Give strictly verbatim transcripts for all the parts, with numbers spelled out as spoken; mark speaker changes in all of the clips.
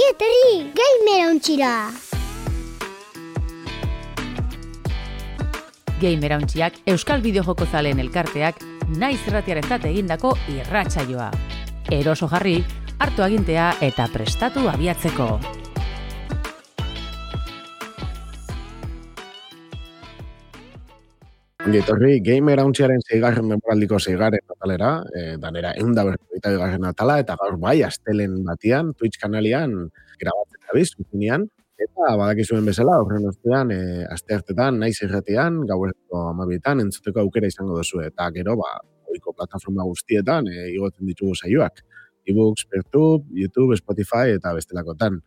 Speaker 1: Ongi etorri, Gamerauntxira!
Speaker 2: Gamerauntxiak Euskal Bideojoko zaleen elkarteak naiz irratiarentzat egindako irratsaioa. Eroso jarri, hartu agintea eta prestatu abiatzeko.
Speaker 3: Ongi etorri, Gamerauntxiaren seigarren memoraldiko seigarren atalera, e, danera ehun eta berrogeita bigarren atala, eta gaur bai, astelen batian, Twitch kanalian, grabatzen dabiz, zuzenean, eta badakizuen bezala, horren ostean, e, asteartetan, naiz irratian, gaueko hamabietan, entzuteko aukera izango duzu, eta gero, ba, ohiko plataforma guztietan, e, igotzen ditugu saioak. E-books, Pertube, YouTube, Spotify, eta bestelakotan.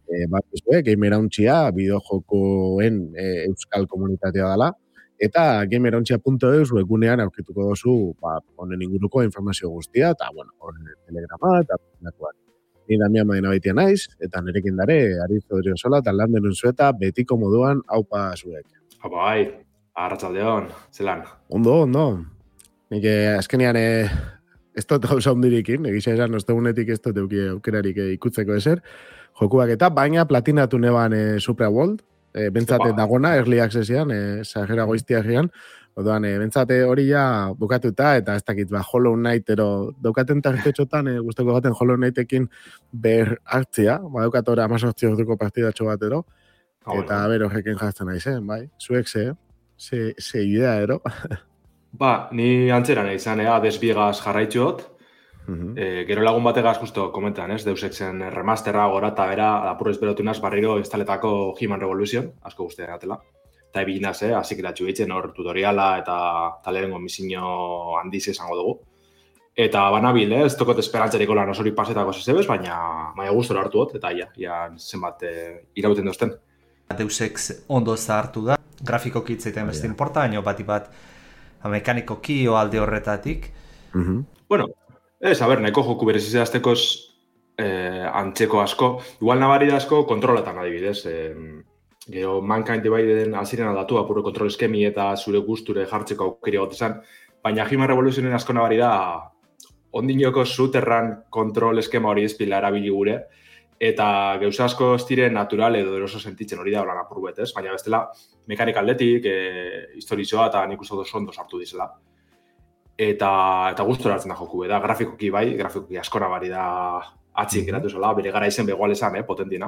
Speaker 3: E, bat bizue, Gamerauntxia, bideojokoen e, euskal komunitatea dela, eta gamerauntxia puntu eus webgunean aurkituko dozu ba, honen inguruko informazio guztia, eta, bueno, horren telegrama, eta nakuak. Ni Damian Madina baitia naiz, eta nerekin dare, Ariz Odriozola, eta lan denun zueta, betiko moduan haupa zuek.
Speaker 4: Haupa bai, arratsaldeon, zelan?
Speaker 3: Ondo, ondo. Nik azkenean eh, ez dut gauza ondirikin, egisa esan, ostegunetik ez dut euki aukerarik ikutzeko ezer, jokuak eta, baina platinatu neban eh, Supra World, E, bentsate dagona, early accessian, e, zahera goiztiagian, odoan, e, bentsate hori ja bukatuta, eta ez dakit, ba, Hollow Knight, ero, daukaten tartetxotan, e, guztoko gaten Hollow Knightekin ber hartzia, ba, daukat ora amazortzi orduko partidatxo bat, ero, oh, eta bueno. Ber horrekin jartzen naizen, bai, zuek ze, ze, ze idea, ero.
Speaker 4: Ba, ni antzera nahi izan, ea, desbiegaz jarraitxot,
Speaker 3: Uh-huh.
Speaker 4: E, gero lagun bategaz justo komentan, ez? Deus Exen remasterra gora eta bera apurrez berotunaz barriro instaletako He-Man Revolution, asko guztiak atela. Eta ebiginaz, eh? Azik eratxu eitzen hor tutoriala eta talerengo misinio handiz esango dugu. Eta banabil, eh? Ez tokot esperantzariko lan osori pasetako zezebez, baina maia gustora hartu hot, eta ia, ia zenbat eh, irauten dozten.
Speaker 5: Deus Ex ondo zahartu da, grafikoki itzaiten beste importa, baina bat bat mekanikoki o alde horretatik.
Speaker 3: Uh-huh.
Speaker 4: Bueno, ez, a ber, nahiko joku berezizea aztekoz eh, antzeko asko. Igual nabari da asko kontroletan adibidez. Eh, gero Mankind Divideden aziren aldatu apuro kontrol eskemi eta zure gusture jartzeko aukeri gotezan. Baina He-Man Revolutionen asko nabari da ondinoko zuterran kontrol eskema hori ezpila erabili gure. Eta gauza asko ez dire natural edo eroso sentitzen hori da holan apur bet, ez? Baina bestela mekanik aldetik, eh, historizoa eta nik uste oso ondo sartu dizela. Eta, eta gustora hartzen da joku, da grafikoki bai, grafikoki askona bari da atzik geratu zela, bere gara izen begoal esan, eh, potentina.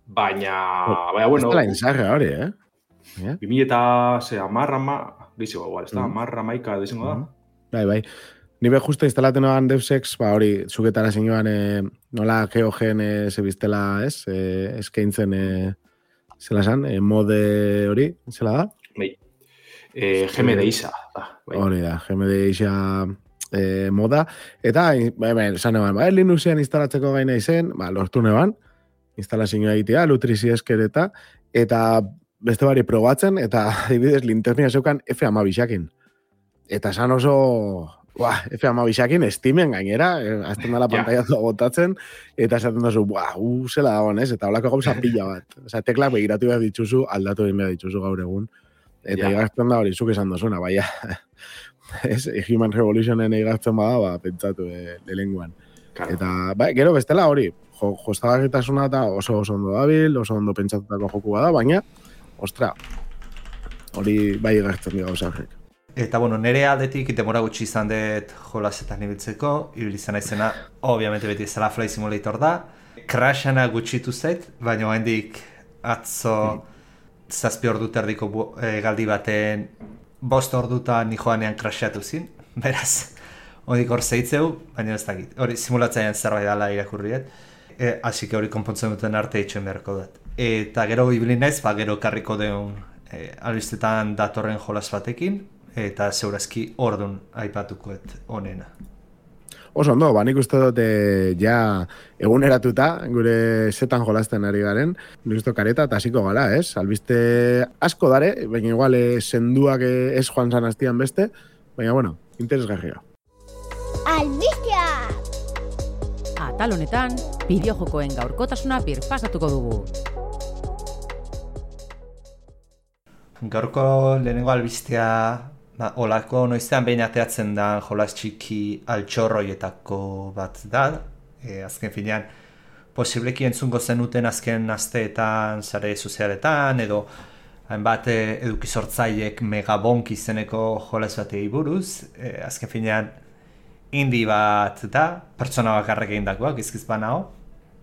Speaker 4: Baina, oh, baina, bueno...
Speaker 3: Ez dela enzarra hori, eh?
Speaker 4: Yeah. Bimi eta, ze, amarra, ma... Gizigo, igual, ez da, amarra, maika, dizengo da.
Speaker 3: Bai, bai. Nibe justo instalaten noan Deus Ex, ba hori, zuketara zinioan, eh, nola geogen eh, zebiztela, ez? Eh, eskaintzen, eh, zela zan, eh, mode hori, zela da?
Speaker 4: Bai. Eh, G M D isa.
Speaker 3: Hori da, G M D isa eh, moda. Eta, ba, ba, esan eban, ba, Linuxean instalatzeko gaina izen, ba, lortu neban, instalazioa egitea, lutrizi esker eta, eta beste bari probatzen, eta adibidez linternia zeukan F hamabisakin. Eta esan oso, ba, F hamabisakin estimen gainera, eh, azten dela pantaiatua botatzen, eta esaten dozu, ba, uh, zela dagoen, ez? Eta holako gauza pila bat. Osea, teklak begiratu behar dituzu, aldatu egin behar dituzu gaur egun. Eta yeah. Igartzen da hori, zuk esan dozuna, baina ez, He-Man Revolutionen igartzen bada, ba, pentsatu e, lehenguan. Claro. Eta, ba, gero bestela hori, jo, jostagarritasuna eta oso oso ondo dabil, oso ondo pentsatutako joku bada, baina, ostra, hori bai igartzen dira gauza horrek.
Speaker 5: Eta, bueno, nire aldetik demora gutxi izan dut jolasetan ibiltzeko, ibili izan naizena, obviamente beti zela Flight Simulator da, Crashana gutxitu zait, baina oraindik atzo... Hmm. Zazpi ordu terdiko e, galdi baten bost ordutan ni joanean crashatu zin, beraz, hodik hor zeitzeu, baina ez dakit, hori simulatzaian zerbait dala irakurriet, e, hasik hori konpontzen duten arte itxoen beharko dut. Eta gero ibili naiz, ba, gero karriko deun e, albistetan datorren jolas batekin, eta zeurazki ordun aipatukoet onena.
Speaker 3: Oso ondo, ba, nik uste dut ja eguneratuta, gure zetan jolasten ari garen, nik uste kareta eta hasiko gala, ez? Albiste asko dare, baina igual senduak ez joan zan hastian beste, baina, bueno, interesgarria.
Speaker 1: Albistea!
Speaker 2: Atal honetan, bideojokoen gaurkotasuna birpasatuko dugu.
Speaker 5: Gaurko lehenengo albistea... Ba, olako noizean behin ateatzen da jolas txiki altxorroietako bat da. E, azken finean, posibleki entzungo zenuten azken asteetan, sare sozialetan, edo hainbat eduki sortzaileek Megabonk izeneko jolas batei buruz, e, azken finean indie bat da, pertsona bakarrek egindakoak, izkiz banao.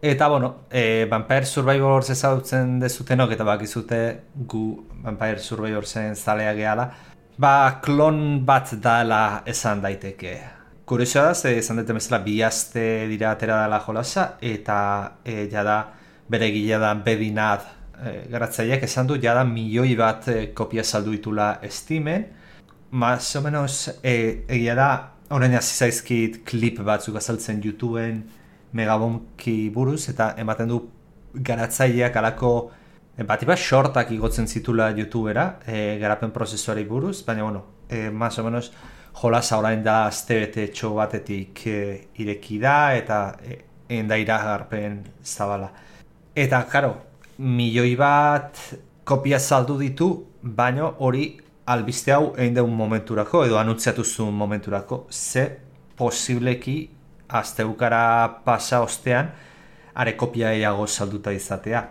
Speaker 5: Eta, bueno, e, Vampire Survivors ezagutzen dezutenok, eta bakizute gu Vampire Survivorsen zalea gehala, ba, klon bat dala esan daiteke. Kuriosoa da, ze esan dute bezala bi aste dira atera dela jolasa, eta e, jada bere gila da Bedinad e, garatzaileak esan du, jada milioi bat e, kopia saldu ditula Steamen. Más o menos, e, egia da, orain hasi zaizkit klip batzuk azaltzen YouTubeen Megabonki buruz, eta ematen du garatzaileak alako bat bat shortak igotzen zitula YouTubera, e, garapen prozesuari buruz, baina, bueno, e, más o menos jolasa orain da aztebete txo batetik e, ireki da, eta e, enda iragarpen zabala. Eta, karo, milioi bat kopia saldu ditu, baina hori albiste hau egin deun momenturako, edo anuntziatu zuen momenturako, ze posibleki asteukara pasa ostean, are kopia eiago salduta izatea.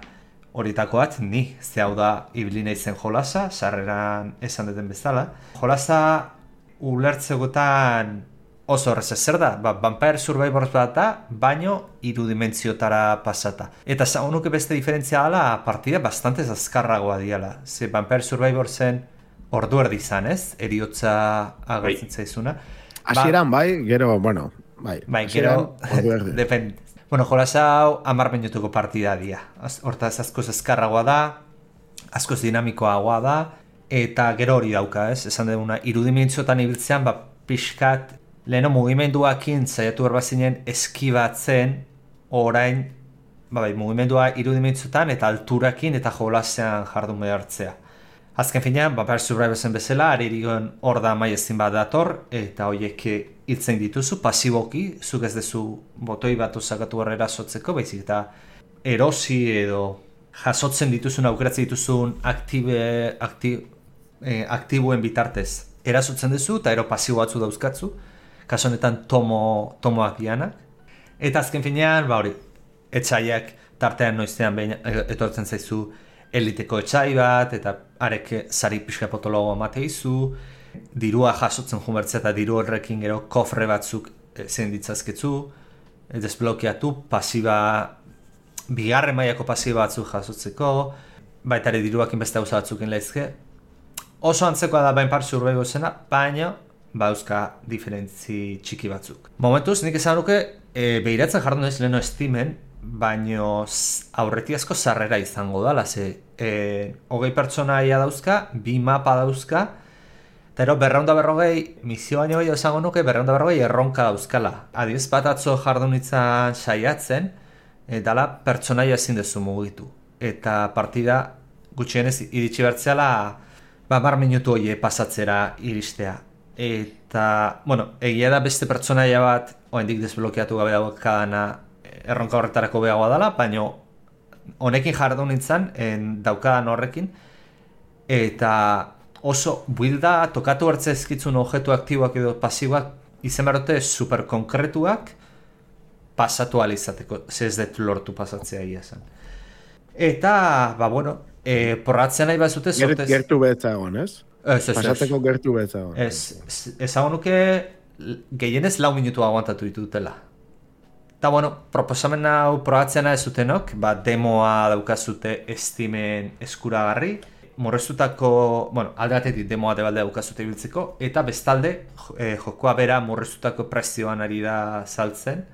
Speaker 5: Horietako bat, ni, ze hau da ibili naizen jolasa, sarreran esan duten bezala. Jolasa ulertzegotan oso horrez zer da, ba, Vampire Survivors bat da, baino irudimentziotara pasata. Eta zagonuke beste diferentzia ala, partida bastante azkarragoa diala. Ze Vampire Survivorsen ordu erdi izan, ez? Eriotza agertzen zaizuna.
Speaker 3: Hasieran bai, gero, bueno, bai.
Speaker 5: Bai, gero, depende. Bueno, jolasa hau hamar minutuko partida dia. Hortaz askoz azkarragoa da, askoz dinamikoagoa da, eta gero hori dauka, ez? Esan duguna, irudimentzotan ibiltzean, ba, pixkat, leheno mugimenduakin zaiatu berbazinen eskibatzen, orain, ba, bai, mugimendua irudimentzotan eta alturakin eta jolasean jardun behartzea. Azken finean, Vampire Survivorsen bezala, aririgon hor da maiezin bat dator, eta horiek hiltzen dituzu, pasiboki, zuk ez dezu botoi bat osakatu horrera sotzeko, baizik eta erosi edo jasotzen dituzun, aukeratzen dituzun aktibe, akti, eh, aktibuen bitartez. Erasotzen duzu eta ero pasibo batzu dauzkatzu, kaso honetan tomo, tomoak dianak. Eta azken finean, ba hori, etxaiak tartean noiztean behin etortzen zaizu eliteko etxai bat, eta arek sari pixka potologo amate izu, dirua jasotzen jumertzea eta diru horrekin gero kofre batzuk zein ditzazketzu, desblokeatu, pasiba, bigarren mailako pasiba batzuk jasotzeko, baita ere diruakin beste gauza batzukin lehizke. Oso antzekoa da Vampire Survivorsena, baina bauzka diferentzi txiki batzuk. Momentuz, nik esan nuke, e, behiratzen jardun ez leheno Steamen, baino aurreti asko sarrera izango dala, ze e, hogei pertsonaia dauzka, bi mapa dauzka, eta ero berreunda berrogei, misio baino gehiago esango nuke, berreunda berrogei erronka dauzkala. Adiez bat atzo jardun itzan saiatzen, e, dala pertsonaia ezin dezu mugitu. Eta partida gutxienez iritsi bertzeala, ba, mar minutu hoie pasatzera iristea. Eta, bueno, egia da beste pertsonaia bat, oendik desblokeatu gabe daukadana, erronka horretarako behagoa dela, baina honekin jardun nintzen, en daukadan horrekin, eta oso builda tokatu hartze ezkitzun objektu aktiboak edo pasiboak izen berote super konkretuak pasatu alizateko, ze ez dut lortu pasatzea ia zen. Eta, ba, bueno, e, porratzen nahi bazute sortez...
Speaker 3: Gertu betzagon, ez?
Speaker 5: Ez, ez,
Speaker 3: Pasateko gertu betzagon.
Speaker 5: Ez, ezagun nuke gehienez lau minutu aguantatu ditutela. Eta, bueno, proposamen hau probatzena ez zutenok, ba, demoa daukazute Steamen eskuragarri, murreztutako, bueno, alde batetik demoa debalde daukazute ibiltzeko, eta bestalde, e, jokoa bera murreztutako prezioan ari da saltzen,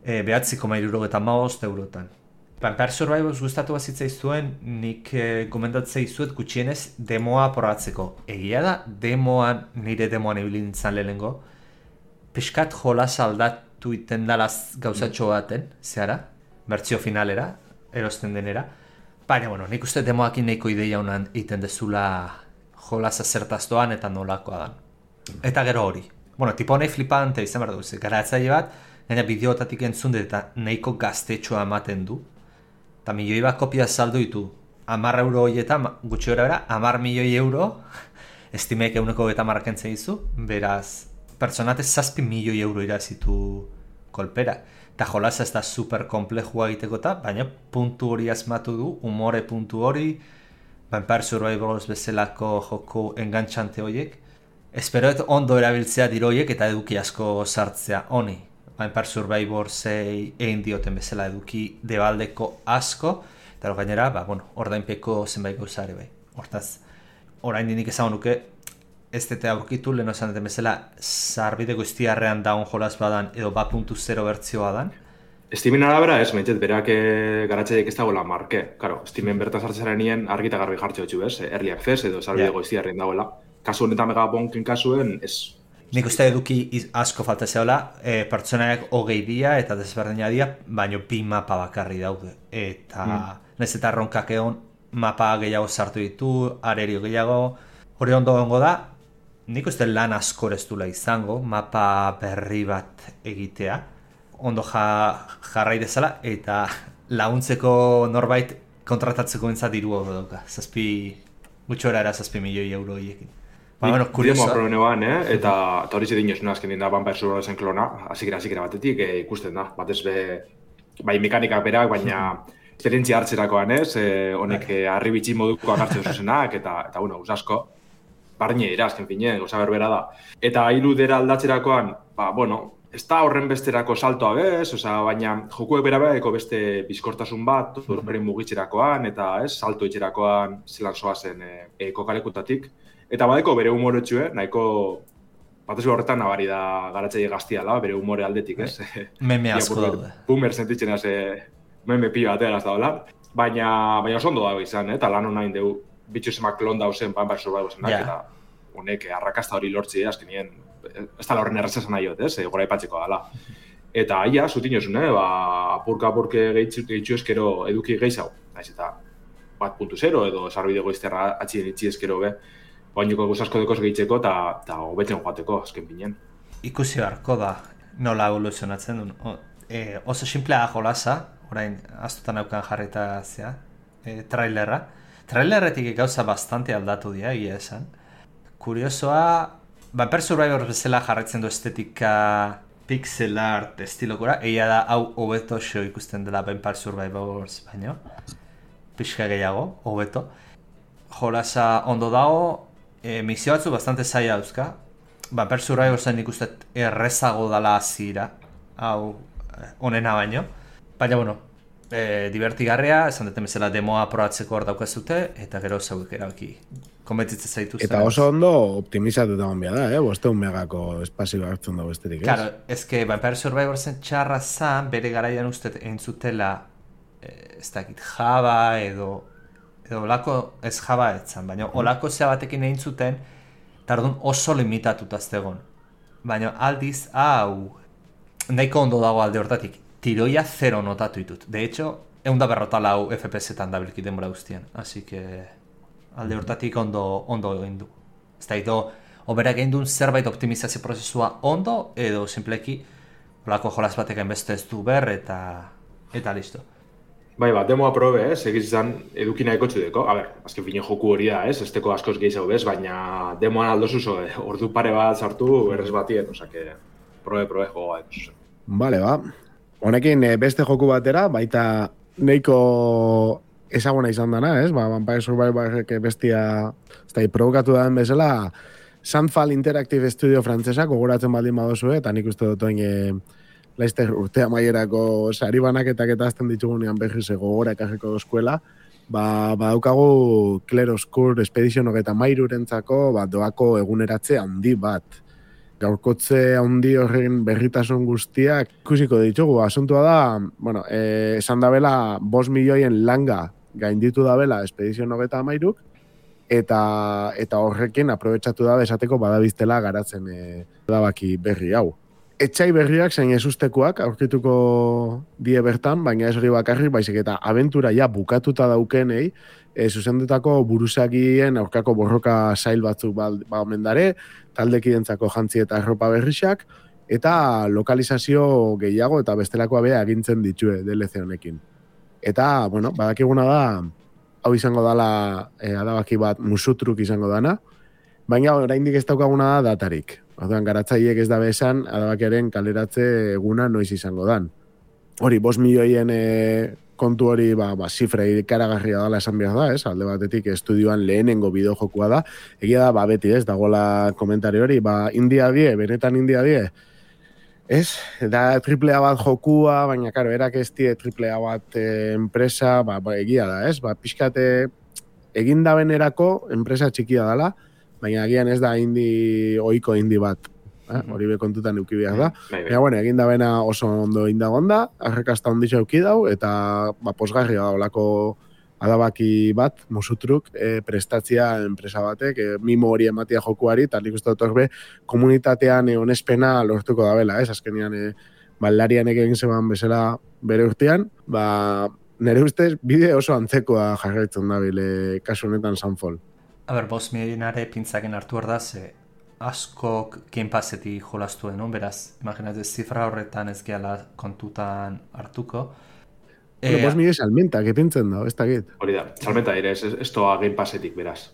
Speaker 5: e, behatzi koma hirurogeita hamabost eurotan. Vampire Survivors gustatu bazitzai zuen, nik e, gomendatzei zuet gutxienez demoa probatzeko. Egia da, demoan, nire demoan ibili nintzen lehenengo, pixkat jolas aldatu iten dalaz gauzatxo baten, zehara, bertzio finalera, erosten denera. Baina, bueno, nik uste demoakin nahiko ideia honan iten dezula jolasa zertaztoan eta nolakoa dan. Eta gero hori. Bueno, tipo nahi flipante izan behar dugu, garatzaile bat, gaina bideotatik entzun dut eta nahiko gaztetxoa ematen du. Eta milioi bat kopia saldu ditu. Amar euro horietan, gutxi gara bera, amar milioi euro, estimeek euneko eta marrakentzen dizu, beraz, pertsonatez zazpi milioi euro irazitu kolpera. Eta jolasa ez da super komplejua egiteko baina puntu hori asmatu du, umore puntu hori, Vampire Survivors bezalako joko engantxante horiek. Esperoet ondo erabiltzea diroiek eta eduki asko sartzea honi. Vampire Survivors-ei egin dioten bezala eduki debaldeko asko, eta gainera, ba, bueno, ordainpeko zenbait gauza ere bai. Hortaz, orain dinik ezagun nuke, ez dute aurkitu, lehen osan duten bezala, sarbide guztiarrean daun jolaz badan, edo bat puntu zero bertzioa dan.
Speaker 4: Steamen arabera ez, meintzet, berak garatzaiek ez dagoela marke. Claro, Steamen bertan sartzaren nien argita garbi jartxe hotxu, ez? Early access edo sarbide goiztiarren dagoela. Kasu honetan megabonken kasuen, ez...
Speaker 5: Nik uste eduki asko falta zeola, e, pertsonaak hogei dia eta desberdina dia, baino bi mapa bakarri daude. Eta mm. nez eta ronkak egon, mapa gehiago sartu ditu, arerio gehiago, hori ondo gongo da, nik uste lan asko ez dula izango, mapa berri bat egitea, ondo ja, jarrai dezala, eta laguntzeko norbait kontratatzeko entzat diru hori dauka, zazpi, gutxora era zazpi milioi euro hiekin. Ba, bueno, kurioso.
Speaker 4: Demo eh? eta, eta hori zedin jozuna azken da Vampire Survivorsen klona, azikera, azikera batetik e, ikusten da, batez be, bai mekanikak berak, baina esperientzia hartzerakoan ez, e, honek e, arribitzi moduko agartzen zuzenak, eta, eta bueno, usasko, barne dira, azken fine, goza berbera da. Eta irudera aldatzerakoan, ba, bueno, ez da horren besterako saltoa bez, oza, baina jokuek berabeako beste bizkortasun bat, horren mugitzerakoan, eta ez, salto itxerakoan zelan zoazen e, e, kokalekutatik. Eta badeko bere humore txue, nahiko batezu horretan nabari da garatzaile gaztiala, bere humore aldetik, ez?
Speaker 5: Meme asko daude.
Speaker 4: Boomer sentitzen az, meme pila batean azta dola. Baina, baina oso ondo dago izan, eta lan honain deu bitxu zemak klon dauzen Vampire Survivorsenak, yeah. Eta honek arrakasta hori lortzi, azkenien, ez da horren errezesan nahi hot, ez? Gora ipatzeko dala. Eta aia, zutin jozun, eh? Ba, apurka-apurke gehitzu eskero eduki gehizago. Naiz eta bat puntu zero edo sarbide goizterra atxien itxi eskero be. Bainoko guzasko dekoz gehitzeko eta hobetzen joateko, azken pinen.
Speaker 5: Ikusi beharko da, nola evoluzionatzen duen. O, e, oso simplea jolasa, orain astutan aukan jarrita zea, e, trailerra. Trailerretik gauza bastante aldatu dira, egia esan. Kuriosoa, Vampire Survivors bezala jarraitzen du estetika pixel art estilokora, egia da hau hobeto xo ikusten dela Vampire Survivors baino. Pixka gehiago, hobeto. Jolasa ondo dago, E, misio batzu bastante zaila dauzka. Vampire Survivorsen ikustet errezago dala azira, hau onena baino. Baina, bueno, e, divertigarria, esan duten bezala demoa probatzeko hor daukazute, eta gero zauek erabaki konbentzitzen zaituzten.
Speaker 3: Eta oso ondo optimizatu da onbia da, eh? Bosteun megako espazio hartzen dago esterik, ez?
Speaker 5: Claro, ezke Vampire Survivorsen txarra zan, bere garaian ustet egin zutela, e, ez dakit, Java edo... edo olako ez Java etzan, baina olako zea batekin egin zuten, tardun oso limitatuta zegoen. Baina aldiz, hau, nahiko ondo dago alde hortatik, tiroia zero notatu ditut. De hecho, egun da berrota lau F P S-etan dabilki denbora guztien. Así que, alde hortatik ondo, ondo egin du. Ez da, edo, oberak egin duen zerbait optimizazio prozesua ondo, edo simpleki, olako jolaz batek enbeste ez du ber, eta, eta listo.
Speaker 4: Bai, bat, demoa probe, ez, egiz izan edukina ekotxu deko. A ber, azken finen joku hori da, ez, esteko askoz gehiago bez, baina demoan aldozu zo, eh, ordu pare bat sartu errez batien, osake, probe, probe, jogoa, ez.
Speaker 3: Bale, ba. Honekin beste joku batera, baita nahiko ezaguna izan dana, ez, ba, Vampire Survivorek bestia, ez da, provokatu da bezala, Sandfall Interactive Studio frantzesa, gogoratzen baldin badozu, eta nik uste dut oin, Laizter urtea maierako sari banaketak eta azten ditugunean behize gogora ekajeko eskuela, ba, ba daukagu Claroscure Expedition hogeita mairurentzako ba, doako eguneratze handi bat. Gaurkotze handi horren berritasun guztiak ikusiko ditugu. Asuntua da, bueno, eh, esan dabela bost milioien langa gainditu dabela Expedition hogeita mairuk, eta, eta horrekin aprobetsatu da esateko badabiztela garatzen eh, dabaki berri hau. Etxai berriak zein ezustekoak aurkituko die bertan, baina ez hori bakarrik, baizik eta abentura ja bukatuta daukenei, e, zuzendutako buruzagien aurkako borroka zail batzuk ba, ba omendare, taldekidentzako jantzi eta erropa berrixak, eta lokalizazio gehiago eta bestelakoa bea agintzen ditue D L C honekin. Eta, bueno, badakiguna da, hau izango dala e, adabaki bat musutruk izango dana, baina oraindik ez daukaguna da datarik. Orduan, garatzaileek ez dabe esan, adabakeren kaleratze eguna noiz izango dan. Hori, bost milioien e, kontu hori, ba, ba, zifra ikaragarria dela esan behar da, ez? Alde batetik estudioan lehenengo bideojokua da. Egia da, ba, beti, ez? Dagoela komentario hori, ba, India die, benetan India die. Ez? Da triple A bat jokua, baina, karo, erak ez die triple A bat e, enpresa, ba, ba, egia da, ez? Ba, pixkate egin dabenerako enpresa txikia dela, baina agian ez da indi, oiko indi bat. Eh? Hori be kontutan euki behar da. Baina, bueno, egin dabena oso ondo indagonda, arrekasta onditza euki dau, eta ba, posgarria da olako adabaki bat, musutruk, e, prestatzia enpresa batek, e, mimo hori ematia jokuari, eta nik uste dut horbe komunitatean e, onespena lortuko dabela, ez? Azkenean, e, baldarian egin zeban bezala bere urtean, ba, nire ustez, bide oso antzekoa jarraitzen dabile kasu honetan Sunfall.
Speaker 5: A ber, bost milionare pintzaken hartu hor da, ze askok Game Passetik jolastu no? Beraz, imaginatu, zifra horretan ez gehala kontutan hartuko.
Speaker 3: Bueno, bost milio salmenta, kepintzen da, ez da git.
Speaker 4: Hori da, salmenta ere, ez, ez toa Game Passetik, beraz.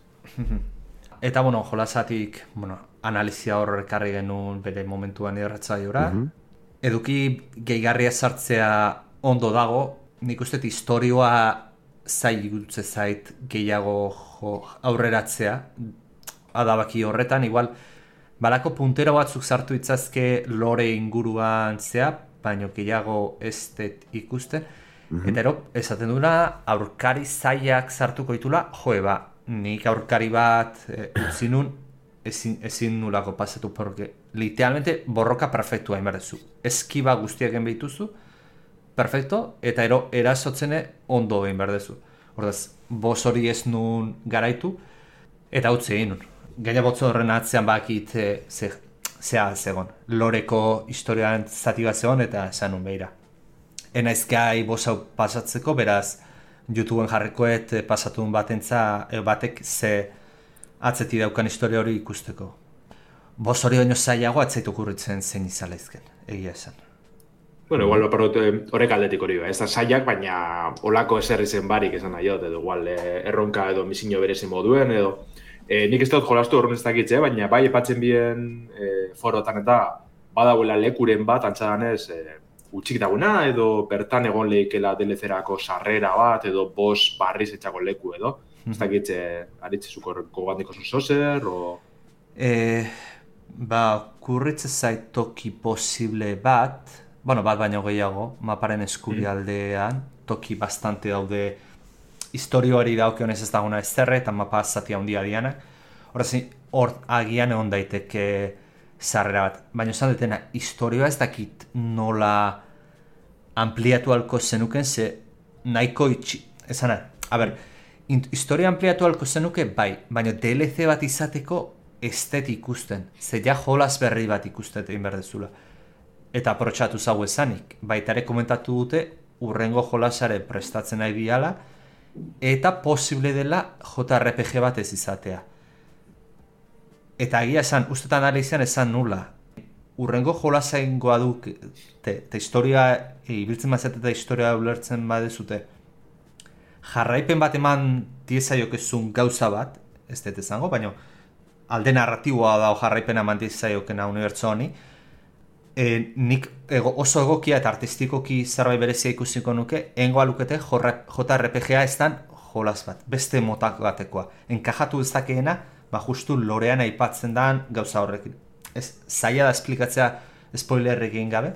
Speaker 5: Eta, bueno, jolasatik, bueno, analizia horrek karri genuen bere momentuan irratzaiora. Uh-huh. Eduki gehigarria sartzea ondo dago, nik uste historioa zai gutze zait gehiago jo, aurreratzea, adabaki horretan, igual, balako puntero batzuk sartu itzazke lore inguruan zea, baino gehiago ez dut ikusten. Mm-hmm. Eta ero, esaten duna, aurkari zaiak sartuko ditula, joe ba, nik aurkari bat e, utzi nun, ezin, ezin nulako pasatu, porque literalmente borroka perfektua inberdezu. Eskiba guztiak egin behituzu, perfecto, eta ero, erasotzene ondo egin berdezu. Hordaz, boz hori ez nun garaitu, eta utzi egin nun. Gaina botzo horren atzean bakit e, ze, zea zegon. Loreko historian zati bat zegon eta esan nun behira. Enaiz gai boz hau pasatzeko, beraz YouTubeen jarrikoet pasatun batentza e, batek ze atzeti daukan historia hori ikusteko. Boz hori baino zailago atzaitu kurritzen zein izalaizken, egia esan.
Speaker 4: Bueno, igual horrek aldetik hori ba. Ez da zaiak, baina olako eserri zen barik esan nahi dut, edo igual erronka edo misiño berezi moduen, edo E, nik ez dut jolastu horren ez dakitze, baina bai epatzen bien e, forotan eta badauela lekuren bat antzadanez e, utxik daguna, edo bertan egon lehikela D L C-erako sarrera bat, edo bos barriz etxako leku edo. Ez dakitze, aritzezuko gogandiko zozer, o...
Speaker 5: E, ba, kurritze zait toki posible bat, bueno, bat baino gehiago, maparen eskubialdean, mm. toki bastante daude historioari daukionez ez daguna ezterre, eta mapa zatia handia dianak. Horrez, hor agian egon daiteke sarrera bat. Baina esan detena, historioa ez dakit nola ampliatu alko zenuken, ze nahiko itxi... Esan, a ber, historia ampliatu alko zenuke, bai, baina D L C bat izateko ez dut ikusten. Ze ja jolas berri bat ikustet egin berdezula. Eta aprotxatu zau esanik. Baitare komentatu dute, urrengo jolasare prestatzen nahi diala, eta posible dela J R P G bat ez izatea. Eta egia esan, ustetan analizian esan nula. Urrengo jolasa ingoa du, eta historia, ibiltzen mazet eta historia ulertzen badezute, jarraipen bat eman diezaiokezun gauza bat, ez dut ezango, baina alde narratiboa da jarraipen eman diezaiokena unibertso honi, E, nik ego, oso egokia eta artistikoki zerbait berezia ikusiko nuke, engoa lukete J R P G-a ez dan jolas bat, beste motak batekoa. Enkajatu ez dakeena, ba justu lorean aipatzen dan gauza horrekin. Ez, zaila da esplikatzea spoilerrik egin gabe,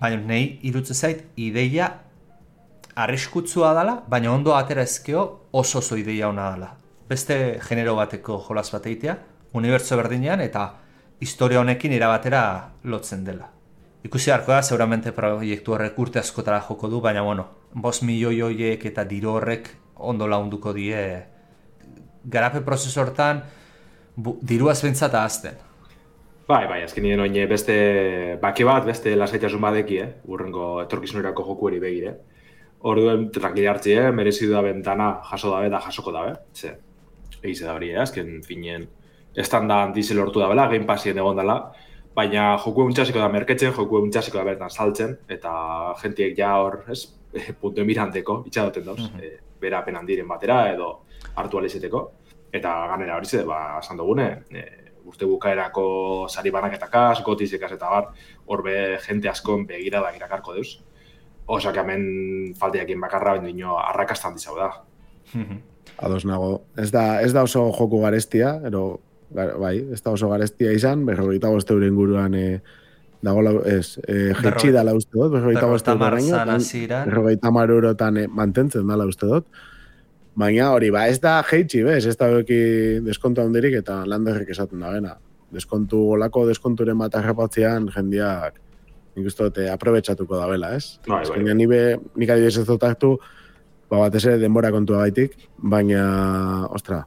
Speaker 5: baina nahi irutzen zait ideia arriskutsua dela, baina ondo atera ezkeo oso oso ideia ona dela. Beste genero bateko jolas bat egitea, unibertso berdinean eta historia honekin irabatera lotzen dela. Ikusi harko da, seguramente proiektu horrek urte askotara joko du, baina bueno, bost milioi horiek eta diru horrek ondo launduko die garape prozesu hortan diruaz bentsata azten.
Speaker 4: Bai, bai, azken nien oine beste baki bat, beste lasaitasun badeki, eh? Urrengo etorkizunerako joku hori begire. Orduen tranquili hartzi, eh? Merezidu da bentana jaso dabe da jasoko dabe. Ze, egize da hori, eh? Azken finien estanda dizel hortu da bela, Game Passien egon dela, baina joku eguntxasiko da merketzen, joku eguntxasiko da bertan saltzen, eta jentiek ja hor, ez, punto emiranteko, itxadoten dauz, mm-hmm. e, bera apenan diren batera, edo hartu alizeteko, eta ganera hori ze, ba, esan dugune, e, urte bukaerako sari banaketakaz, gotizekaz eta bar, horbe jente askon begirada irakarko deuz. Osak hemen falteakin bakarra bendino arrakastan dizau da.
Speaker 3: Ados nago. Ez da, ez da oso joku garestia, ero, bai, ez da oso garestia izan, berrogeita bost euren guruan e, dago, ez, e, jetxi dala uste dut, berrogeita bost euroraino, berrogeita mar eurotan e, mantentzen dala uste dut. Baina hori, ba, ez da jeitsi, bez, ez da beki deskontu handirik eta landerrik esaten da bena. Deskontu, olako deskonturen bat arrapatzean jendiak nik uste dut aprobetxatuko da bela, ez?
Speaker 4: Bai, bai.
Speaker 3: Baina nik adibidez ez dut hartu, ba, bat eze denbora kontua gaitik, baina, ostra,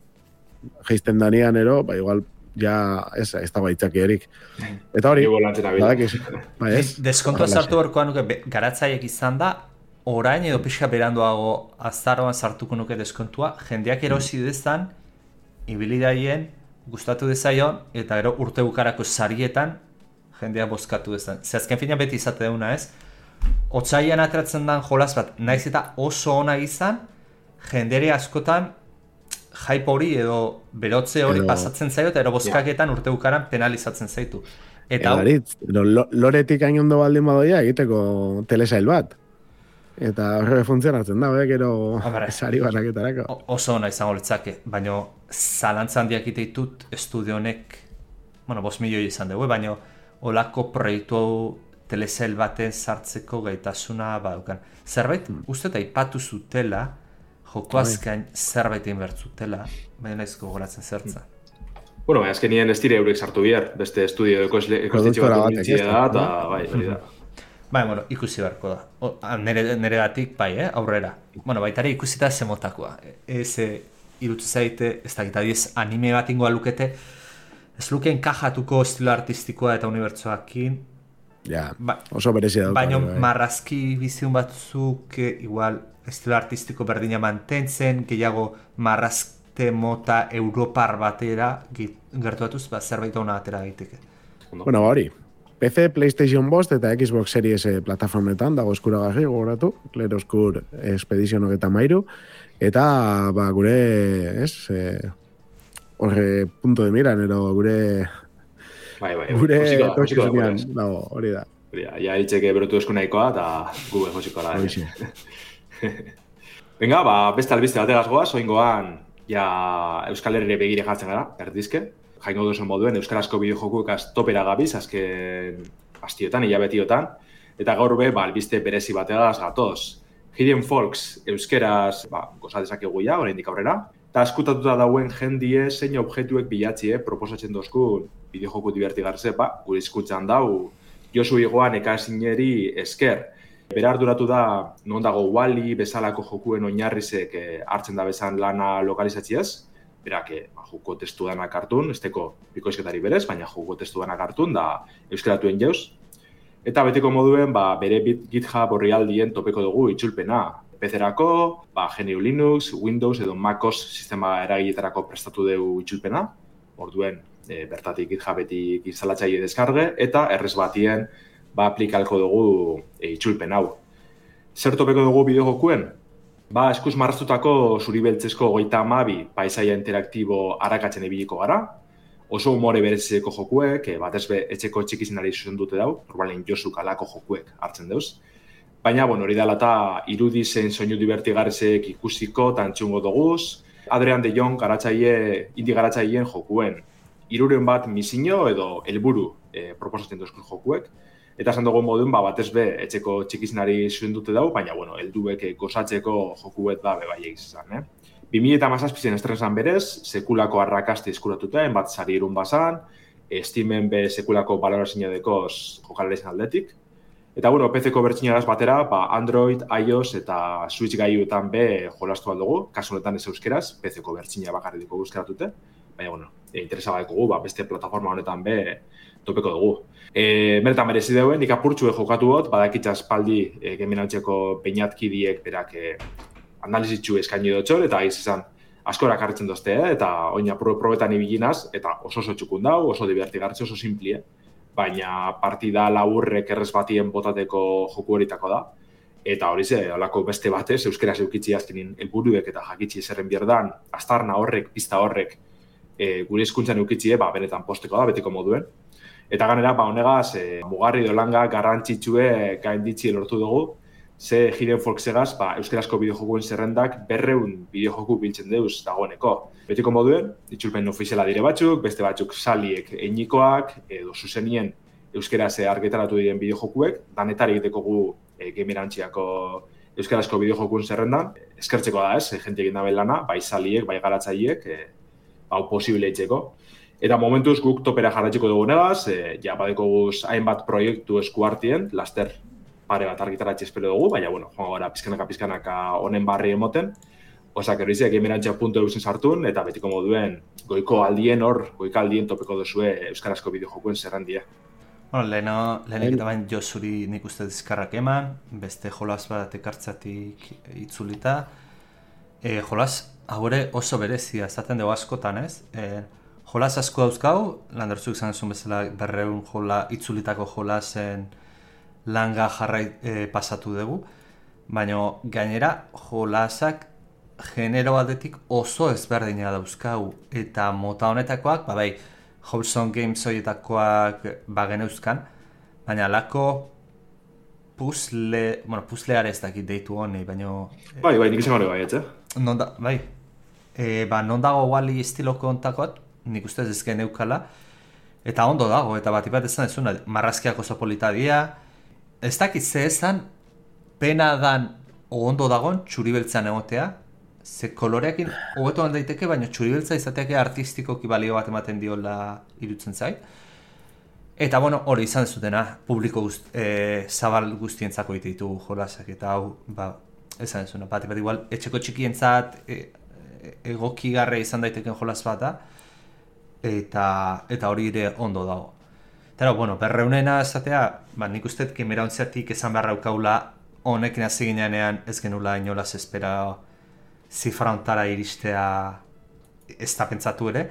Speaker 3: geizten danian ero, ba, igual, ja, ez, ez da baitzaki erik. Eta hori, badakiz, ba, ez?
Speaker 5: Deskontua sartu horkoan nuke, garatzaiek izan da, orain edo pixka beranduago azaroan sartuko nuke deskontua, jendeak erosi dezan, ibilidaien, gustatu dezaion, eta gero urte bukarako sarietan, jendea bozkatu dezan. Ze azken fina beti izate deuna, ez? Otsaian ateratzen den jolaz bat, naiz eta oso ona izan, jendere askotan hype hori edo berotze hori
Speaker 3: edo...
Speaker 5: pasatzen zaio, eta ero bozkaketan urte bukaran penalizatzen zaitu.
Speaker 3: Eta Edaritz, loretik hain ondo baldin badoia egiteko telesail bat. Eta horre funtzionatzen da, bek, ero sari banaketarako.
Speaker 5: Oso ona izango litzake, baina zalantza handiak ditut estudio honek, bueno, bost milioi izan dugu, baina olako proiektu telesail baten sartzeko gaitasuna badaukan. Zerbait, hmm. uste eta ipatu zutela, joko azkain zerbait egin bertzutela, baina nahizko goratzen zertza.
Speaker 4: Bueno, baina azkenien ez dire eurek sartu bihar, beste estudio ekostitxe bat egin da, eta bai, hori da.
Speaker 5: Bai, bueno, ikusi beharko da. O, nere, nere datik, bai, eh, aurrera. Bueno, baitari ikusita zemotakoa. Ez e, irutu zaite, ez da gita diez anime bat ingoa lukete, ez lukeen kajatuko estilo artistikoa eta unibertsoakin.
Speaker 3: Ja,
Speaker 5: ba,
Speaker 3: oso berezia dut.
Speaker 5: Baina marrazki biziun batzuk, igual, estilo artistiko berdina mantentzen, gehiago marrazte mota europar batera gertuatuz, ba, zerbait ona atera daiteke.
Speaker 3: Bueno, hori. P C, PlayStation bost eta Xbox Series plataformetan dago eskuragarri gogoratu, Claroscur Expedition eta mairu, eta ba, gure, ez, e, horre punto de miran, ero gure
Speaker 4: bai, bai,
Speaker 3: gure
Speaker 4: josiko da, josiko da,
Speaker 3: dago, hori da.
Speaker 4: Hori da, ja eritzeke berotu esku nahikoa, eta gube josiko da. Venga, ba, beste albiste bategaz goaz, oingoan, ja Euskal Herrire begire jartzen gara, erdizke. Jaingo duzen moduen, euskarazko bideojokuekaz topera gabiz, azken astiotan, hilabetiotan, eta gaur be, ba, albiste berezi bategaz gatoz. Hidden Folks, euskeraz, ba, goza dezakegu ja, oraindik aurrera, eta askutatuta dauen jendie zein objektuek bilatzie proposatzen dozkun bideojoku divertigarze, ba, gure hizkuntzan dau, Josu Igoan ekasineri esker. Bera arduratu da, non dago Wall-E bezalako jokuen oinarrizek eh, hartzen da bezan lana lokalizatziaz, berak, ba, joko testu danak hartun, ez teko bikoizketari berez, baina joko testu danak hartun, da euskeratuen jauz. Eta beteko moduen, ba, bere GitHub orrialdien topeko dugu itzulpena. P C-erako, ba, G N U Linux, Windows edo MacOS sistema eragiletarako prestatu dugu itzulpena. Orduen, e, bertatik GitHubetik instalatzaile deskarge, eta errez batien ba, aplikalko dugu e, itzulpen hau. Zer topeko dugu bideojokuen? Ba, eskuz marraztutako zuribeltzezko goita amabi paisaia interaktibo arakatzen ibiliko gara. Oso humore berezeko jokuek, batez be etxeko txikizinari zuzen dute dau, normalen Josu kalako jokuek hartzen deuz. Baina, bueno, hori dela eta irudi zen soinu divertigarrezek ikusiko eta entzungo doguz. Adrian de Jong garatzaile, indi garatzaileen jokuen. Hiruren bat misio edo helburu e, proposatzen duzkun jokuek. Eta esan dugu moduen, ba, batez be, etxeko txikizinari zuen dute dau, baina, bueno, helduek gozatzeko jokuet da bebai egizan, eh? bi mila hamazazpien estresan berez, sekulako arrakaste eskuratuta, enbat sari irun bazan, Steamen be sekulako balorazioa dekoz jokalaren aldetik. Eta, bueno, P C-ko bertxinaraz batera, ba, Android, iOS eta Switch gaiuetan be jolastu aldugu, kasu honetan ez euskeraz, P C-ko bertxina bakarriko euskeratute, baina, bueno, e, interesa baikugu, ba, beste plataforma honetan be topeko dugu. E, Meretan merezi deuen, nik apurtxue jokatu hot, badakitza espaldi e, geminautzeko peinatkidiek berak e, analizitxu eskaini dutxor, eta aiz izan askorak hartzen dozte, eh? Eta oina pro probetan ibilinaz, eta oso oso txukun dau, oso divertigartze, oso simplie, baina partida laburrek errez batien botateko joku horitako da. Eta hori ze, holako beste batez, euskeraz eukitzi azkenin helburuek eta jakitzi zerren bierdan, astarna horrek, pista horrek, e, gure hizkuntzan eukitzie, ba, benetan posteko da, betiko moduen. Eta ganera, ba, honegaz, e, mugarri dolanga garrantzitsue gainditzi lortu dugu, ze Hidden Folksegaz, ba, euskarazko bideojokuen zerrendak berreun bideojoku biltzen deuz dagoeneko. Betiko moduen, itzulpen ofiziala dire batzuk, beste batzuk saliek einikoak, edo zuzenien euskaraz argitaratu diren bideojokuek, danetari egitekogu e, gamerantziako euskarazko bideojokuen zerrendan. Eskertzeko da ez, jente egin dabe lana, bai saliek, bai garatzaiek, e, hau posible eitzeko. Eta momentuz guk topera jarratzeko dugu negaz, e, ja badekoguz hainbat proiektu eskuartien, laster pare bat argitaratxe espero dugu, baina, bueno, joan gara pizkanaka-pizkanaka honen barri emoten. Osak, errizia gamerantzia puntu eusen sartun, eta betiko moduen goiko aldien hor, goiko aldien topeko duzue euskarazko bideojokuen zerrendia.
Speaker 5: Bueno, leheno, lehenik eta bain Josuri nik uste dizkarrak eman, beste jolas bat ekartzatik itzulita. E, jolas, haure oso berezia, esaten dugu askotan, ez? E, jolas asko dauzkau, landertzuk izan zuen bezala berreun jola, itzulitako jolasen langa jarrai e, pasatu dugu, baina gainera jolasak genero aldetik oso ezberdina dauzkau, eta mota honetakoak, ba bai, Wholesome Games horietakoak bageneuzkan, baina alako puzle, bueno, puzleare ez dakit deitu honi, baina...
Speaker 4: Bai, bai, nik izan hori bai, etxe?
Speaker 5: Non da, bai, e, ba, non dago Wall-E estiloko ontakoat, nik ustez ezken eukala, eta ondo dago, eta bat ipat ezan ezuna, marrazkiak oso polita dia, ez dakit ze ezan, pena dan ondo dagon txuribeltzan egotea, ze koloreakin hobeto daiteke, baina txuribeltza izateake artistikoki balio bat ematen diola irutzen zait. Eta, bueno, hori izan zutena, publiko guzti, e, zabal guztientzako ite ditugu jolasak, eta hau, ba, esan zuna, bat, bat igual, etxeko txikientzat e, e, egokigarre izan daiteken jolas bat da, eta, eta hori ere ondo dago. Eta, bueno, berreunena esatea, ba, nik uste kemerauntziatik esan beharra ukaula honekin hasi ginean ez genula inolaz espera zifra ontara iristea ez da pentsatu ere.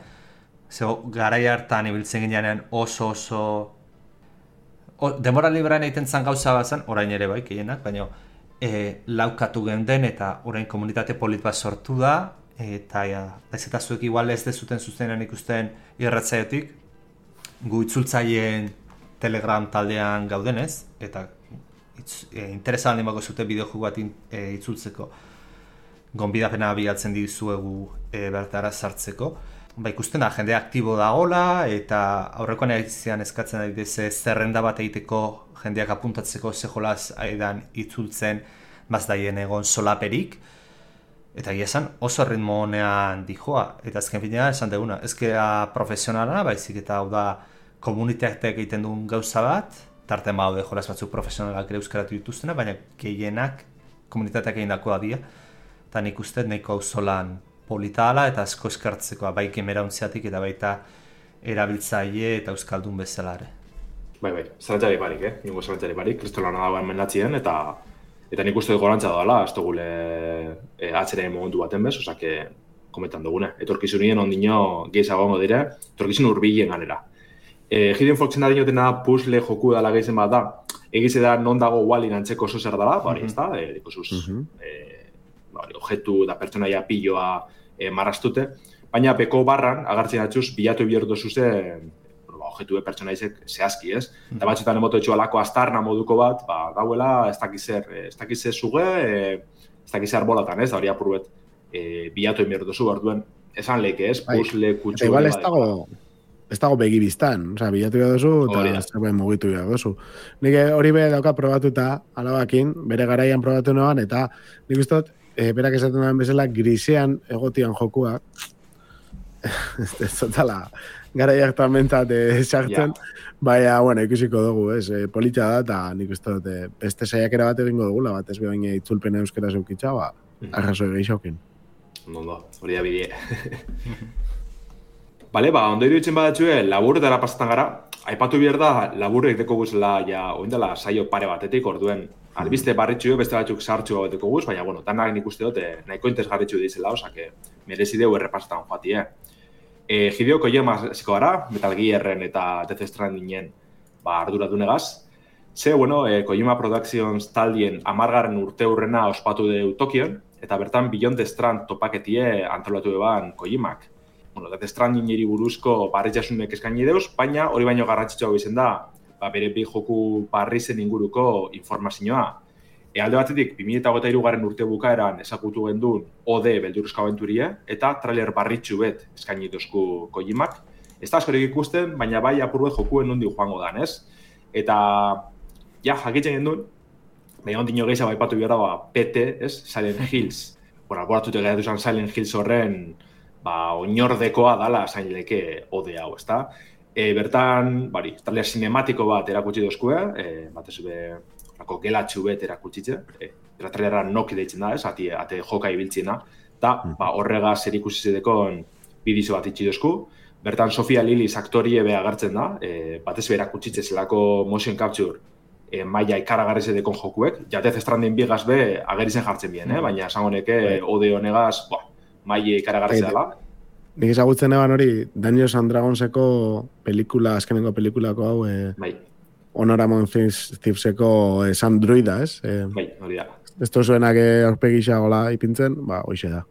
Speaker 5: Zego, garai hartan ibiltzen ginean oso oso... O, demora librean egiten zan gauza bazan, orain ere bai, gehienak, baina e, laukatu genden eta orain komunitate polit bat sortu da, eta ja, ez eta zuek igual ez dezuten zuzenean ikusten irratzaiotik, gu itzultzaien Telegram taldean gaudenez, eta itz, e, interesan limako zute bideojoku bat e, itzultzeko gonbidapena bilatzen dizuegu e, bertara sartzeko. Ba, ikusten da, jende aktibo dagoela, eta aurrekoan egitean eskatzen da ze zerrenda bat egiteko jendeak apuntatzeko ze jolaz aidan itzultzen bazdaien egon solaperik. Eta egia esan oso ritmo honean dijoa, eta azken fina esan duguna, ezkera profesionala, baizik eta hau da komunitateak egiten duen gauza bat, tarten baude jolaz batzuk profesionalak ere euskaratu dituztena, baina gehienak komunitateak egin dakoa dira, eta nik uste nahiko hau zolan polita ala eta asko eskartzekoa, bai kemerauntziatik eta baita erabiltzaile eta euskaldun bezala ere.
Speaker 4: Bai, bai, zarantzari barik, eh? Ningo zarantzari barik, kristolana dagoen mendatzien, eta eta nik uste gorantza doala, ez dugule e, atzera momentu baten bez, osake kometan dugune. Etorkizunien ondino gehiago gongo dire, etorkizun urbilen ganera. E, Hidden Folksen da dinotena puzzle joku dala gehizen bat da, egize da non dago Wall-E antzeko oso zer dala, bari, ez da, e, dikosuz, e, bari, objektu da pertsonaia piloa e, marrastute, baina beko barran, agartzen atxuz, bilatu bihertu zuzen, objektu pertsonaizek zehazki, ez? Mm-hmm. Eta batzutan emoto etxu alako astarna moduko bat, ba, dauela, ez dakizer, ez dakizer zuge, e, ez dakizer bolatan, ez? Da hori apurbet, e, bilatu bihertu zu, orduen, esan leke, ez? Puzzle, kutsu...
Speaker 3: Eta igual ez dago, ez dago begibiztan, oza, bilatu behar duzu, eta zerbait mugitu behar duzu. Nik hori be dauka probatuta, alabakin, bere garaian probatu noan, eta nik ustot, e, berak esaten duen bezala, grisean egotian jokua, ez zotala, garaiak tamentat sartzen, yeah. Baina, bueno, ikusiko dugu, ez, e, polita da, eta nik uste dut, e, beste saiakera bat egingo dugula, bat ez behin itzulpena euskera zeukitza, ba, arraso egeixokin.
Speaker 4: Ondo, hori da bidie. Bale, ba, ondo iruditzen badatxue, labur dara pasatan gara, aipatu behar da, labur egiteko guzela, ja, oindela saio pare batetik, orduen, albiste barritxu, beste batzuk sartxu bateko guz, baina, bueno, tanak nik uste dut, nahiko interesgarritxu dizela, osake, merezideu errepasatan joati, eh? E, Hideo Kojima hasiko gara, Metal Gearren eta Death Strandingen ba, arduradunegaz. Ze, bueno, e, Kojima Productions taldien amargarren urte hurrena ospatu deu Tokion, eta bertan Beyond the Strand topaketie antolatu eban Kojimak. bueno, Death Strandingeri buruzko barritxasunek eskaini deuz, baina hori baino garrantzitsua izen da, ba, bere bi joku parrizen inguruko informazioa. E, alde batetik, bi mila hogeita hiru garren urte bukaeran ezagutu gendun O D beldurrezko abenturie, eta trailer barritxu bet eskaini dozku Kojimak. Ez da askorik ikusten, baina bai apur bet jokuen nondi joango dan, ez? Eta, ja, jakitzen gendun, baina ondino gehiago aipatu behar da, ba, P T, ez? Silent Hills. Bueno, alboratute gaiatu zen Silent Hills horren, ba, oinordekoa dala zain leke O D hau, ez da? E, bertan, bari, trailer cinematiko bat erakutsi dozkue, e, bat ez be, Ako gelatxu bet erakutsitze, e, trailera noki deitzen da, ez, ate, ate joka ibiltziena, eta ba, horrega zer ikusi zedekon bidizo bat itxi dozku. Bertan Sofia Lillis aktorie beha agertzen da, e, batez behar akutsitze zelako motion capture e, maia ikaragarri zedekon jokuek, ja Death Stranding bigaz be agerizen jartzen bien, eh? Baina esango neke O D honegaz maia ikaragarri zedela.
Speaker 3: Nik ezagutzen eban hori, Dungeons and Dragonseko pelikula, azkenengo pelikulako hau, e...
Speaker 4: bai.
Speaker 3: Honoramon Thieveseko esan druida, ez? E,
Speaker 4: bai, hori da.
Speaker 3: Ez tozuenak aurpegisa gola ipintzen, ba, hoxe da.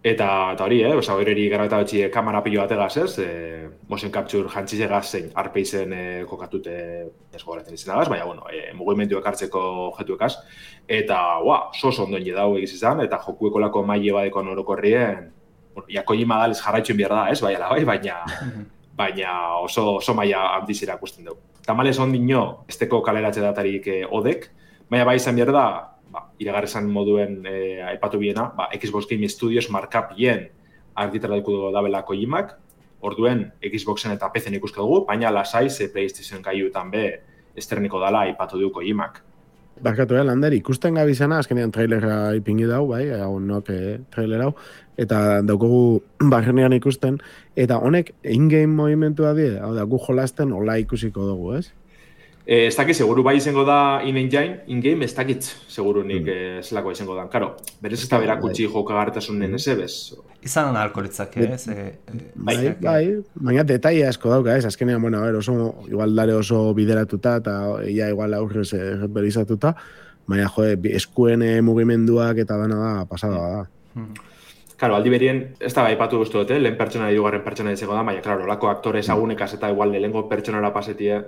Speaker 4: Eta, eta hori, eh? Osa, hori gara eta betxi kamera pilo bategaz, ez? E, motion capture jantzizegaz zein arpeizen e, kokatute ez gogoratzen izanagaz, baina, bueno, e, mugimendu ekartzeko jetuekaz. Eta, ua, sos ondoen jedau egiz izan, eta jokueko lako maile badeko orokorrien, bueno, ja Kojima daliz jarraitzen behar da, ez? Baina, bai, baina, baina oso, oso maila handiz irakusten dugu. Tamalez ondino, esteko kaleratze datarik eh, odek, baina bai izan behar da, ba, iragarrezan moduen eh, aipatu biena, ba, Xbox Game Studios markapien argitaratuko dabela Kojimak, orduen Xboxen eta P C-en ikusko dugu, baina lasai ze PlayStation gaiutan be esterniko dala aipatu du Kojimak.
Speaker 3: Barkatu, eh, Lander, ikusten gabizena, azkenean trailera ipingi dau, bai, hau nok eh, trailer hau, eta daukogu barrenean ikusten, eta honek in-game movimentua die, hau da, gu jolasten hola ikusiko dugu, ez?
Speaker 4: Eh, ez dakit, seguru bai izango da in-engine, in-game, ez dakit, seguru nik mm. eh, zelako izango da. Karo, berez ez da berakutsi jokagartasunen ez ebez.
Speaker 5: Izan alkoholitzak, ez? Eh,
Speaker 3: bai, bai, bai, baina detaile asko dauka, ez? Azkenean, bueno, a ver, oso, igual dare oso bideratuta, eta ia igual aurrez berizatuta, baina, jode, eskuen mugimenduak eta dana da, pasada da.
Speaker 5: Mm.
Speaker 4: Claro, aldi berien, ez da baipatu guztu dute, lehen pertsona dugarren pertsona ditzeko da, baina, claro, lako aktore ezagunekaz eta igual lehengo pertsonara pasetie,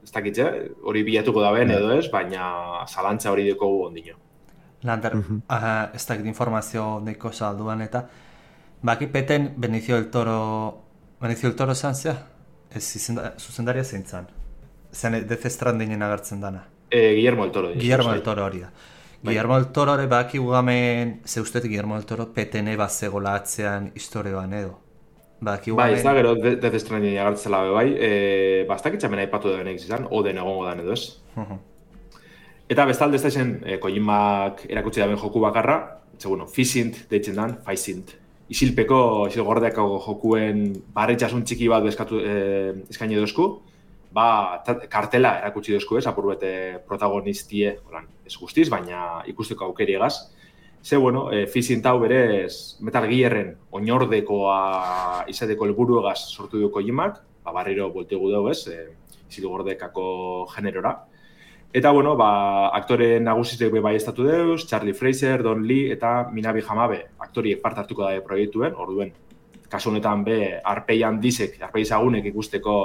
Speaker 4: ez dakitze, hori bilatuko da ben edo ez, baina zalantza hori dekogu ondino.
Speaker 5: Lander, uh-huh. uh, ez dakit informazio neko salduan eta, baki peten Benicio del Toro, Benicio del Toro zan zea? Ez zuzendaria zein zan? Zen Death Strandingen agertzen dana?
Speaker 4: E, Guillermo del Toro.
Speaker 5: Guillermo del Toro hori da. Guillermo del Toro ere baki gugamen, ze usteet Guillermo del Toro petene bat zegoela atzean historioan edo. Baki gugamen...
Speaker 4: Bai, ez da gero Death Stranding agertzela be bai, e, bastakitzamen aipatu da benek izan, oden egongo dan edo ez.
Speaker 5: Uh-huh.
Speaker 4: Eta bestalde ez da zen, e, Kojimak erakutsi da ben joku bakarra, ze bueno, Fisint deitzen dan, Faisint. Isilpeko, isilgordeako jokuen barretxasun txiki bat eskatu, e, eskaini dozku, ba, kartela erakutsi dozku ez, apur bete protagonistie, holan, ez guztiz, baina ikusteko aukeri egaz. Ze, bueno, e, Fisint hau berez Metal Gearren oinordekoa izateko helburu egaz sortu du Kojimak, ba, barriro boltegu dugu ez, e, isilgordekako generora. Eta, bueno, ba, aktore nagusitek bai estatu deuz, Charlie Fraser, Don Lee eta Minabi Hamabe aktoriek parte hartuko da proiektuen, orduen, kasu honetan be, arpei handizek, arpei zagunek ikusteko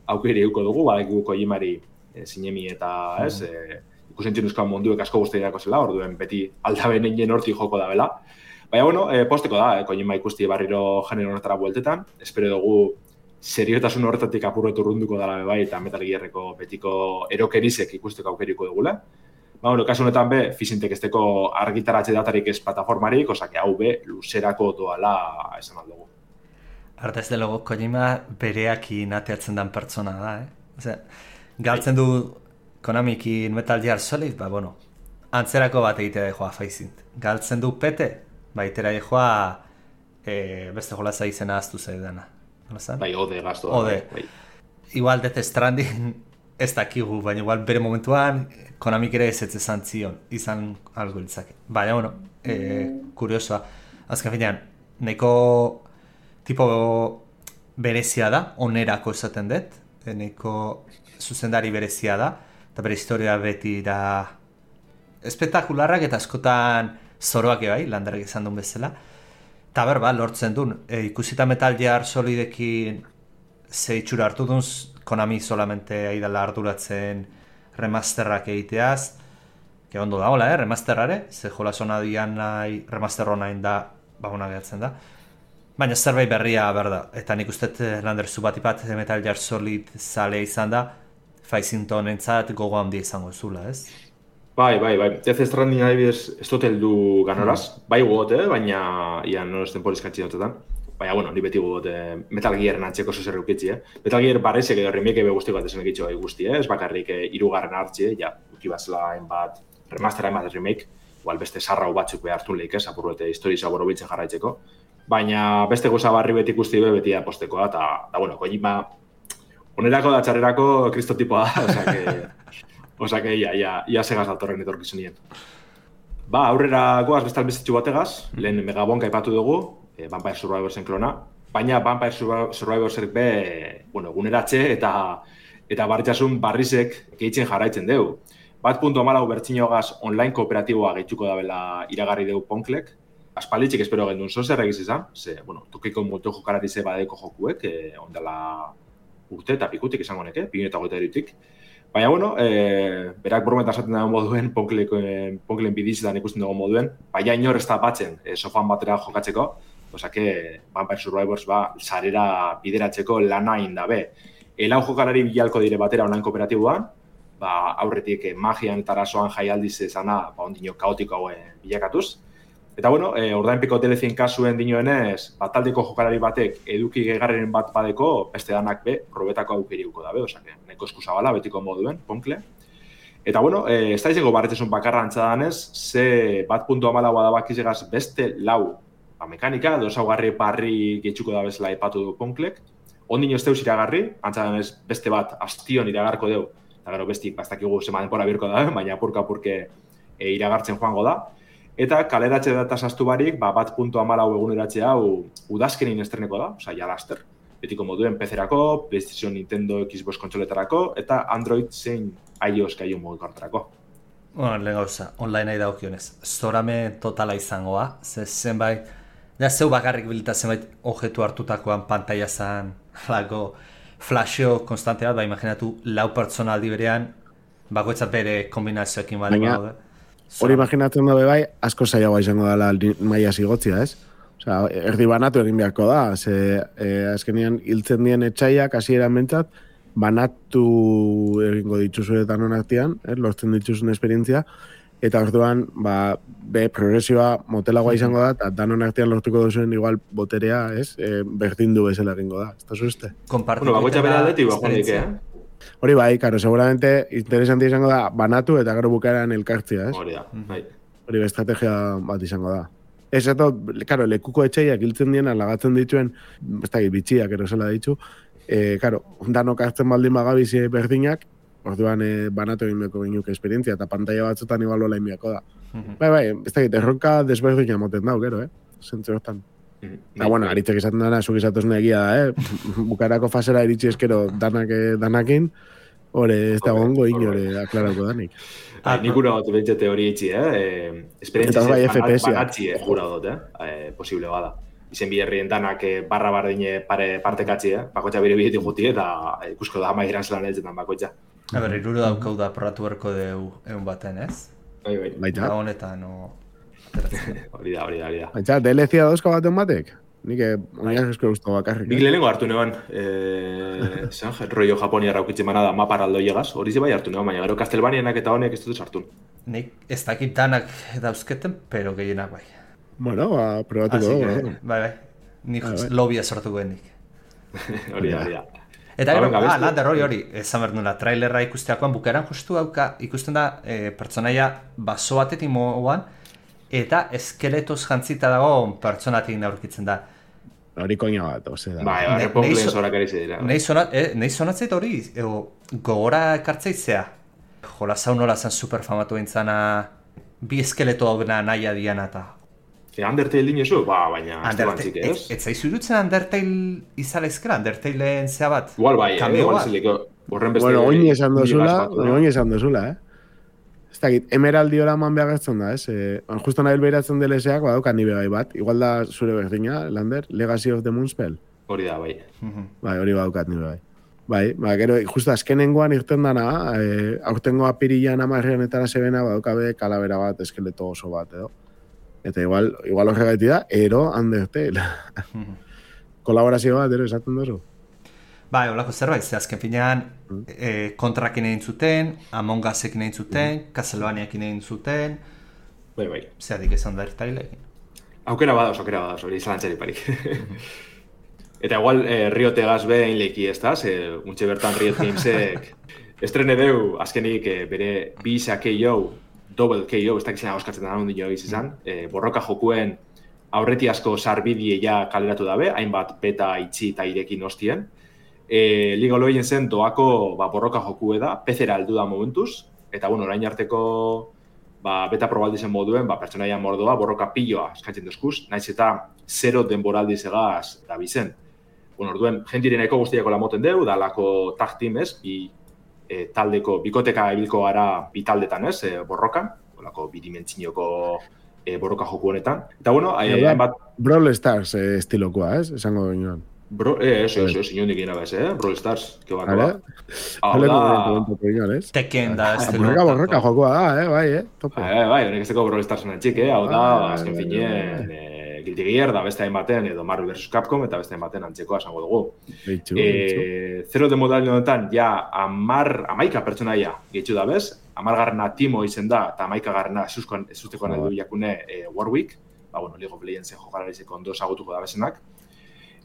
Speaker 4: aukeri euko dugu, badakigu Kojimari e, zinemi eta, ez, e, ikusentzien euskal munduek asko guztiak zela, orduen beti aldaben egin hortik joko da bela. Baina, bueno, e, posteko da, e, Kojima ikusti barriro genero honetara bueltetan, espero dugu seriotasun horretatik apurretu urrunduko dela bai eta Metal Gearreko betiko erokerizek ikusteko aukeriko dugula. Ba, bueno, kasu honetan be, Fisintek esteko argitaratze datarik ez plataformarik, osake hau be, luzerako doala esan aldugu.
Speaker 5: Artez de logo, Kojima bereakin ateatzen dan pertsona da, eh? Osea, galtzen du Konamikin Metal Gear Solid, ba, bueno, antzerako bat egitea da joa Faisint. Galtzen du pete, ba, itera joa e, beste jolaza izena aztu zaidana.
Speaker 4: Bai, ode gaztu.
Speaker 5: Ode.
Speaker 4: Bai.
Speaker 5: Igual Death Stranding ez dakigu, baina igual bere momentuan Konamik ere ez etzezan zion, izan algo litzake. Baina, bueno, e, kuriosoa. Azken finean, nahiko tipo berezia da, onerako esaten dut, nahiko zuzendari berezia da, eta bere historia beti da espektakularrak eta askotan zoroak bai, Landarek esan duen bezala. Eta berba, lortzen duen, e, ikusita Metal Gear Solidekin ze itxura hartu duen, Konami solamente aidala arduratzen remasterrak egiteaz, que ondo da, hola, eh, remasterrare, ze jola zona dian nahi, remaster honain da, ba, hona gehatzen da. Baina zerbait berria berda, eta nik usteet landerzu bat ipat Metal Gear Solid zalea izan da, Faizington entzat gogo handia izango zula, ez?
Speaker 4: Bai, bai, bai. Death Stranding adibidez ez dut heldu ganoraz. Mm. Bai gogot, eh? Baina ia no esten polizkatzi dutetan. Baina, bueno, ni beti gogot eh, Metal Gearen antzeko zozer eukitzi, eh? Metal Gear barrezek edo remake ebe guzti bat esan ekitxo bai guzti, eh? Ez bakarrik eh, irugarren hartzi, ja, ukibazela enbat remastera enbat remake, igual beste sarrau batzuk behartun lehik, ez? Apurruete histori zaboro biltzen jarraitzeko. Baina beste goza barri beti ikusti be beti apostekoa, eta, da, bueno, Kojima onerako da txarrerako kristotipoa da, osea que... Osa que ia, ia, ia segaz datorren etorkizunien. Ba, aurrera goaz bestal bezitxu bategaz, lehen Megabonka aipatu dugu, e, Vampire Survivorsen klona, baina Vampire Survivorsek be, bueno, eguneratxe eta eta barritxasun barrizek gehitzen jarraitzen dugu. Bat puntu amalau bertxinogaz online kooperatiboa gehituko dabela iragarri dugu Ponklek, aspalditxik espero gendun zozer egiz izan, ze, bueno, tokiko moto jokaratize badeko jokuek, e, ondala urte eta pikutik izango neke, bi eta goita erutik. Baina, bueno, e, berak brometa esaten dago moduen, Ponklen bidizetan ikusten dago moduen, baina inor ez da batzen e, sofan batera jokatzeko, oza que Vampire Survivors ba, sarera bideratzeko lana indabe. Elau jokalari bilalko dire batera online kooperatiboan, ba, aurretik e, magian eta arazoan jaialdiz ezana, ba, ondino kaotiko hauen bilakatuz. Eta, bueno, e, ordainpiko D L C-en kasuen dinoenez, bat taldeko jokalari batek eduki gegarren bat badeko, beste danak be, probetako aukeriuko dabe, osake, neko eskuzabala, betiko moduen, Ponkle. Eta, bueno, e, ez da izango barretzesun bakarra antzadanez, ze bat puntu amalagoa da bakizegaz beste lau ba, mekanika, dosaugarri barri getxuko da bezala ipatu du Ponklek. Ondino ez deus iragarri, antzadanez beste bat astion iragarko deu, eta gero bestik, bastakigu zema denpora birko da, baina apurka-apurke e, iragartzen joango da. Eta kaleratxe data sastu barik, ba, bat puntu amalau eguneratxe hau udazkenin estreneko da, oza, ja laster. Betiko moduen P C-erako, PlayStation, Nintendo, Xbox kontsoletarako, eta Android zein iOS gaiu mugikortarako.
Speaker 5: Bueno, lehen gauza, online nahi daukionez. Zorame totala izangoa, ze zenbait, ja zeu bakarrik bilita zenbait objetu hartutakoan pantaila zan, lako flasheo konstante bat, ba, imaginatu lau pertsona aldi berean, bakoitzat bere kombinazioekin bali gaude.
Speaker 3: Hori imaginatzen dabe bai, asko zailagoa izango dela maia zigotzia, ez? Osea, erdi banatu egin beharko da, ze eh, azkenean hiltzen dien etxaiak hasieran bentsat, banatu egingo dituzuetan honartian, eh, lortzen dituzun esperientzia, eta orduan, ba, be, progresioa motelagoa izango da, eta danon artean lortuko duzuen igual boterea, ez? Eh, berdin du bezala egingo da, ez da zuzte?
Speaker 4: Bueno, bakoitza bera aldetik, bajonik, eh?
Speaker 3: Hori bai, karo, seguramente interesanti izango da banatu eta gero bukaeran elkartzia, ez?
Speaker 4: Hori da, bai.
Speaker 3: Hori estrategia bat izango da. Ez eto, karo, lekuko etxeiak hiltzen diena lagatzen dituen, ez da, bitxiak erosela ditu, e, karo, danok hartzen baldin bagabizi berdinak, orduan e, banatu egin beko ginuke esperientzia, eta pantalla batzutan igual hola inbiako da. Mm-hmm. Bai, bai, ez da, erronka desberdina moten dau, gero, eh? Zentzu hortan. Eta, bueno, aritzek esaten dana, zuk esatuzun egia da, eh? Bukarako fasera iritsi eskero danak, danakin, hore ez da gongo inore aklarauko danik.
Speaker 4: Ah, nik gura dut bentsete hori itxi, eh? Esperientzia
Speaker 3: bai,
Speaker 4: banatzi, eh? Gura dut, eh? Posible bada. Izen biherrien danak barra bardine pare partekatzi, eh? Bakoitza bire bidetik guti eta ikusko da amairan zelan eltzetan bakoitza.
Speaker 5: A ber, iruro daukau da porratu berko deu egun baten, ez?
Speaker 4: Bai, bai.
Speaker 5: Baita. Honetan, no...
Speaker 4: Hori da, hori da, hori da.
Speaker 3: Baina, D L C-a dauzka baten batek? Nik oinaz esko guztu bakarrik.
Speaker 4: Nik lehenengo hartu neban, eh, zan, rollo Japonia raukitzen manada mapar aldo llegaz, hori ze bai hartu neban, baina gero Castlevanianak eta honek ez dut sartun.
Speaker 5: Nik ez dakit danak dauzketen, pero gehienak bai.
Speaker 3: Bueno, ba, probatuko dugu.
Speaker 5: Bai, bai. Nik lobia sortuko gendik.
Speaker 4: Hori da, hori da.
Speaker 5: Eta gero, ah, Lander hori hori, esan behar nuna, trailerra ikusteakoan bukaeran justu hauka, ikusten da e, pertsonaia baso batetik moan, eta eskeletoz jantzita dago pertsonatik aurkitzen da.
Speaker 3: Hori koina bat, ose da.
Speaker 4: Bai, hori Ponklen zorak erize dira.
Speaker 5: Nei zonatzeit hori, gogora ekartzeitzea. Jola zaun nola zen superfamatu entzana, bi eskeleto hau nahi adiana eta...
Speaker 4: E, Undertale dinezu? Ba, baina ez da bantzik ez?
Speaker 5: Ez zaizu dutzen Undertale izalezkera, Undertaleen zea bat?
Speaker 4: Igual bai, eh? Igual zeliko, borren beste...
Speaker 3: Bueno, oin esan dozula, oin esan dozula, eh? ez dakit, emeraldi oraman behagertzen da, ez? E, justo nahi beratzen deleseak, badauka nibe bai bat. Igual da zure berdina, Lander, Legacy of the Moonspell.
Speaker 4: Hori da, bai.
Speaker 3: Bai, hori badaukat nibe bai. Bai, ba, gero, justo azkenengoan irten dana, e, aurtengo apirilan amarreanetara zebena, badaukabe kalabera bat, eskeleto oso bat, edo. Eta igual, igual horregaiti da, ero Undertale. Kolaborazio bat, ero, esaten dozu.
Speaker 5: Bai, holako zerbait, ze azken finean mm. e, kontrakin egin zuten, Among Usekin egin zuten, mm. Castlevaniakin egin zuten,
Speaker 4: bai, bai.
Speaker 5: Zeadik esan da ertailekin.
Speaker 4: Aukera badauz, aukera badauz, hori zalantzari parik. Eta igual, eh, Riot egaz behin leki ez da, ze untxe bertan Riot Gamesek estrene deu, azkenik eh, bere bisa K O, double K O, ez da gizena oskatzen da nondi jo izan, eh, borroka jokuen aurreti asko sarbidie ja kaleratu dabe, hainbat beta itxi eta irekin hostien. E, League of Legends zen doako ba, borroka joku da, P C-era heldu da momentuz, eta bueno, orain arteko ba, beta probaldizen moduen, ba, pertsonaia mordoa, borroka piloa eskatzen duzkuz, naiz eta zero denboraldiz egaz da bizen. Bueno, orduen, jentireneko guztiako lamoten deu, da lako tag team ez, bi e, taldeko, bikoteka ebilko gara bi taldetan ez, e, borrokan, olako bidimentzinoko e, borroka joku honetan. Eta bueno, hain bat...
Speaker 3: Brawl Stars eh, estilokoa ez, esango ginoan.
Speaker 4: Bro, eh, eso, eso, eso, inondik ina bez, eh? Brawl Stars, que va, que va.
Speaker 3: Hau da...
Speaker 5: Tekken da, ez delo.
Speaker 3: Borroka, borroka, jokoa da, eh, bai, eh? Topo.
Speaker 4: Eh, bai, honek ez deko Brawl Starsen atxik, eh? Hau da, azken finien, Guilty Gear da beste hainbaten, edo Marvel versus. Capcom, eta beste hainbaten antzekoa esango dugu.
Speaker 3: Beitxu,
Speaker 4: eh, Zero de modal honetan, ja, amar, amaika pertsonaia gehitxu da bez, amargarrena Timo izen da, eta amaika garrena ezusteko nahi du jakune eh, Warwick, ba, bueno, League of Legends jokarazeko ondo ezagutuko da bezenak.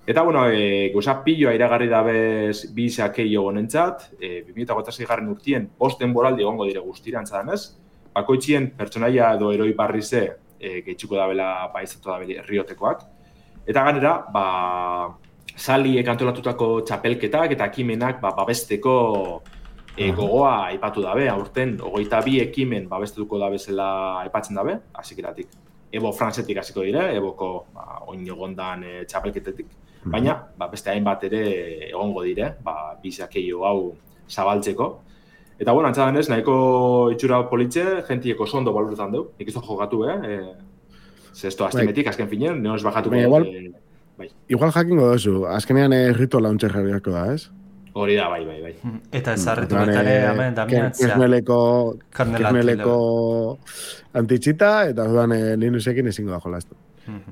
Speaker 4: Eta, bueno, e, gauza piloa iragarri dabez bisa keio honentzat, e, bi mila hogeita sei garren urtien bost denboraldi egongo dire guztira antzadanez, bakoitzien pertsonaia edo eroi barrize e, gehitxuko dabela paizatu dabela Riotekoak. Eta ganera, ba, saliek antolatutako txapelketak eta ekimenak ba, babesteko e, gogoa aipatu dabe, aurten, hogeita bi ekimen babestuko dabezela aipatzen dabe, hasikeratik. Ebo Frantzetik hasiko dire, Eboko ba, oin egondan e, txapelketetik. Baina, ba, beste hainbat ere egongo dire, ba, bizakeio hau zabaltzeko. Eta, bueno, antzadanez, nahiko itxura politxe, jentieko sondo baloretan deu. Nik ez du jokatu, eh? E, Zesto astimetik, azken finen, neoz bajatuko.
Speaker 3: Igual,
Speaker 4: e, bai.
Speaker 3: igual jakingo dozu, azkenean eh, rito launcher jarriako da, ez?
Speaker 4: Hori da, bai, bai, bai.
Speaker 5: Eta ezarretu betare, hemen, damiantzia.
Speaker 3: Kerneleko, kerneleko antitxita, eta dudan eh, Linuxekin ezingo da jolaztu.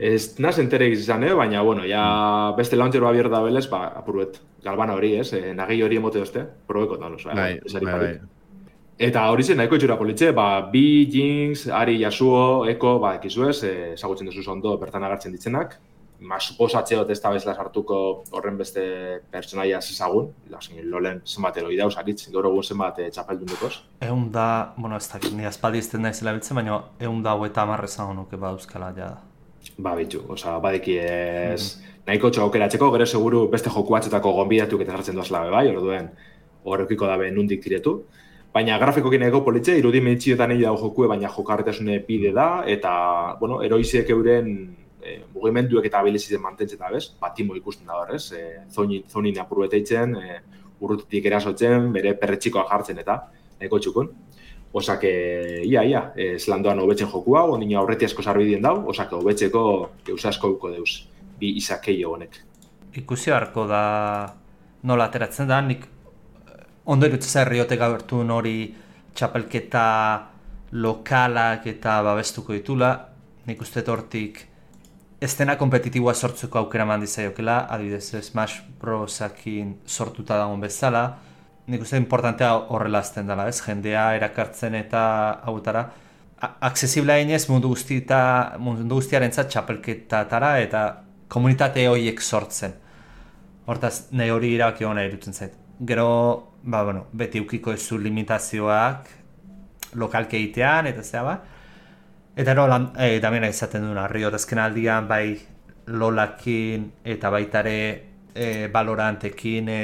Speaker 4: Ez naz enterek izan, eh? Baina, bueno, ja beste launcher ba bierda belez, ba, apurbet, galbana hori, ez? Eh, nagi hori emote dozte, probeko da, oso,
Speaker 3: bai,
Speaker 4: esari
Speaker 3: bai,
Speaker 4: parik. Eta hori zen, nahiko itxura politxe, ba, Bi, Jinx, Ari, Yasuo, Eko, ba, ekizuez, eh, ezagutzen duzu ondo bertan agartzen ditzenak. Mas, posatxeot ez da bezala sartuko horren beste pertsonaia ezagun, lolen zenbat eroi dauz, aritz, gaur egun zenbat eh, txapeldun dukoz.
Speaker 5: Egun da, bueno, ez da, ni aspaldi izten da izela biltzen, baina egun da eta amarrezan honuke badauzkala ja da.
Speaker 4: Ba, bitxu, oza, badeki ez, mm-hmm. nahiko txokeratzeko, gero seguru beste joku batzetako gonbidatuk eta jartzen duazela bai, orduen, horrekiko dabe nundik diretu. Baina grafikokin ego politxe, irudimentxioetan egin dago jokue, baina jokarretasune bide da, eta, bueno, eroiziek euren e, mugimenduek eta abilizitzen mantentzen da, bez? Batimo ikusten da horrez, e, zonin, zonin apurbeteitzen, e, urrutitik erasotzen, bere perretxikoa jartzen eta, nahiko txukun. Osak, ia, ia, zelandoan hobetzen joku hau, ondina aurreti asko sarbidien dau, osak, hobetzeko geuza asko duko deuz, bi izakeio honek.
Speaker 5: Ikusi harko da nola ateratzen da, nik ondo irutzea Riotek agertu hori txapelketa lokalak eta babestuko ditula, nik uste hortik estena kompetitiboa sortzeko aukera mandi zaiokela, adibidez Smash Brosakin sortuta dagoen bezala, nik uste importantea horrela azten dela, ez? Jendea erakartzen eta hautara. Aksesiblea inez mundu, guztita, mundu guztiarentzat txapelketatara eta komunitate horiek sortzen. Hortaz, nahi hori irabaki hona irutzen zait. Gero, ba, bueno, beti eukiko ezu limitazioak lokalke egitean, eta zea ba. Eta no, e, damena izaten duna, Riot azken aldian, bai Lolakin eta baitare e, Valorantekin e,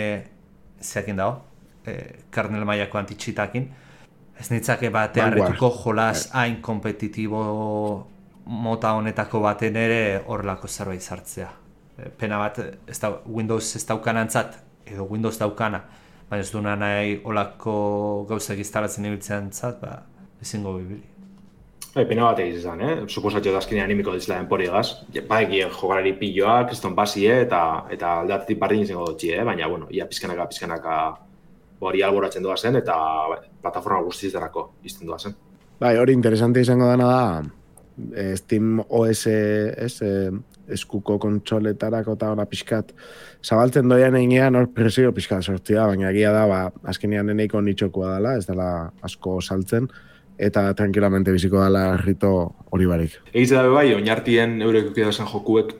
Speaker 5: zeakin dago. Kernel mailako antitxitakin. Ez nitzake bate harretuko jolas hain kompetitibo mota honetako baten ere horrelako zerbait sartzea. Pena bat, ez da, Windows ez daukanantzat, edo Windows daukana, baina ez duna nahi olako gauzak instalatzen ibiltzen zat, ba, ezingo bibili.
Speaker 4: Bai, pena bat egiz izan, eh? Suposatio da azkenean animiko dizela denpori egaz. Baeki jokalari pilloak, Kriston Basie eta eta aldatetik bardin izango dutxi, eh? Baina, bueno, ia pizkanaka, pizkanaka hori alboratzen doa zen eta plataforma guztiz darako izten doa zen.
Speaker 3: Bai, hori interesante izango dana da, eh, Steam O S, ez, eh, eskuko kontsoletarako eta hori pixkat zabaltzen doian einean hor presio pixkat sortzia, baina egia da, ba, azkenean eneiko nitxokoa dela, ez dela asko saltzen, eta tranquilamente biziko dela rito hori barik.
Speaker 4: Egiz da bai, oinartien eurek eukidazan jokuek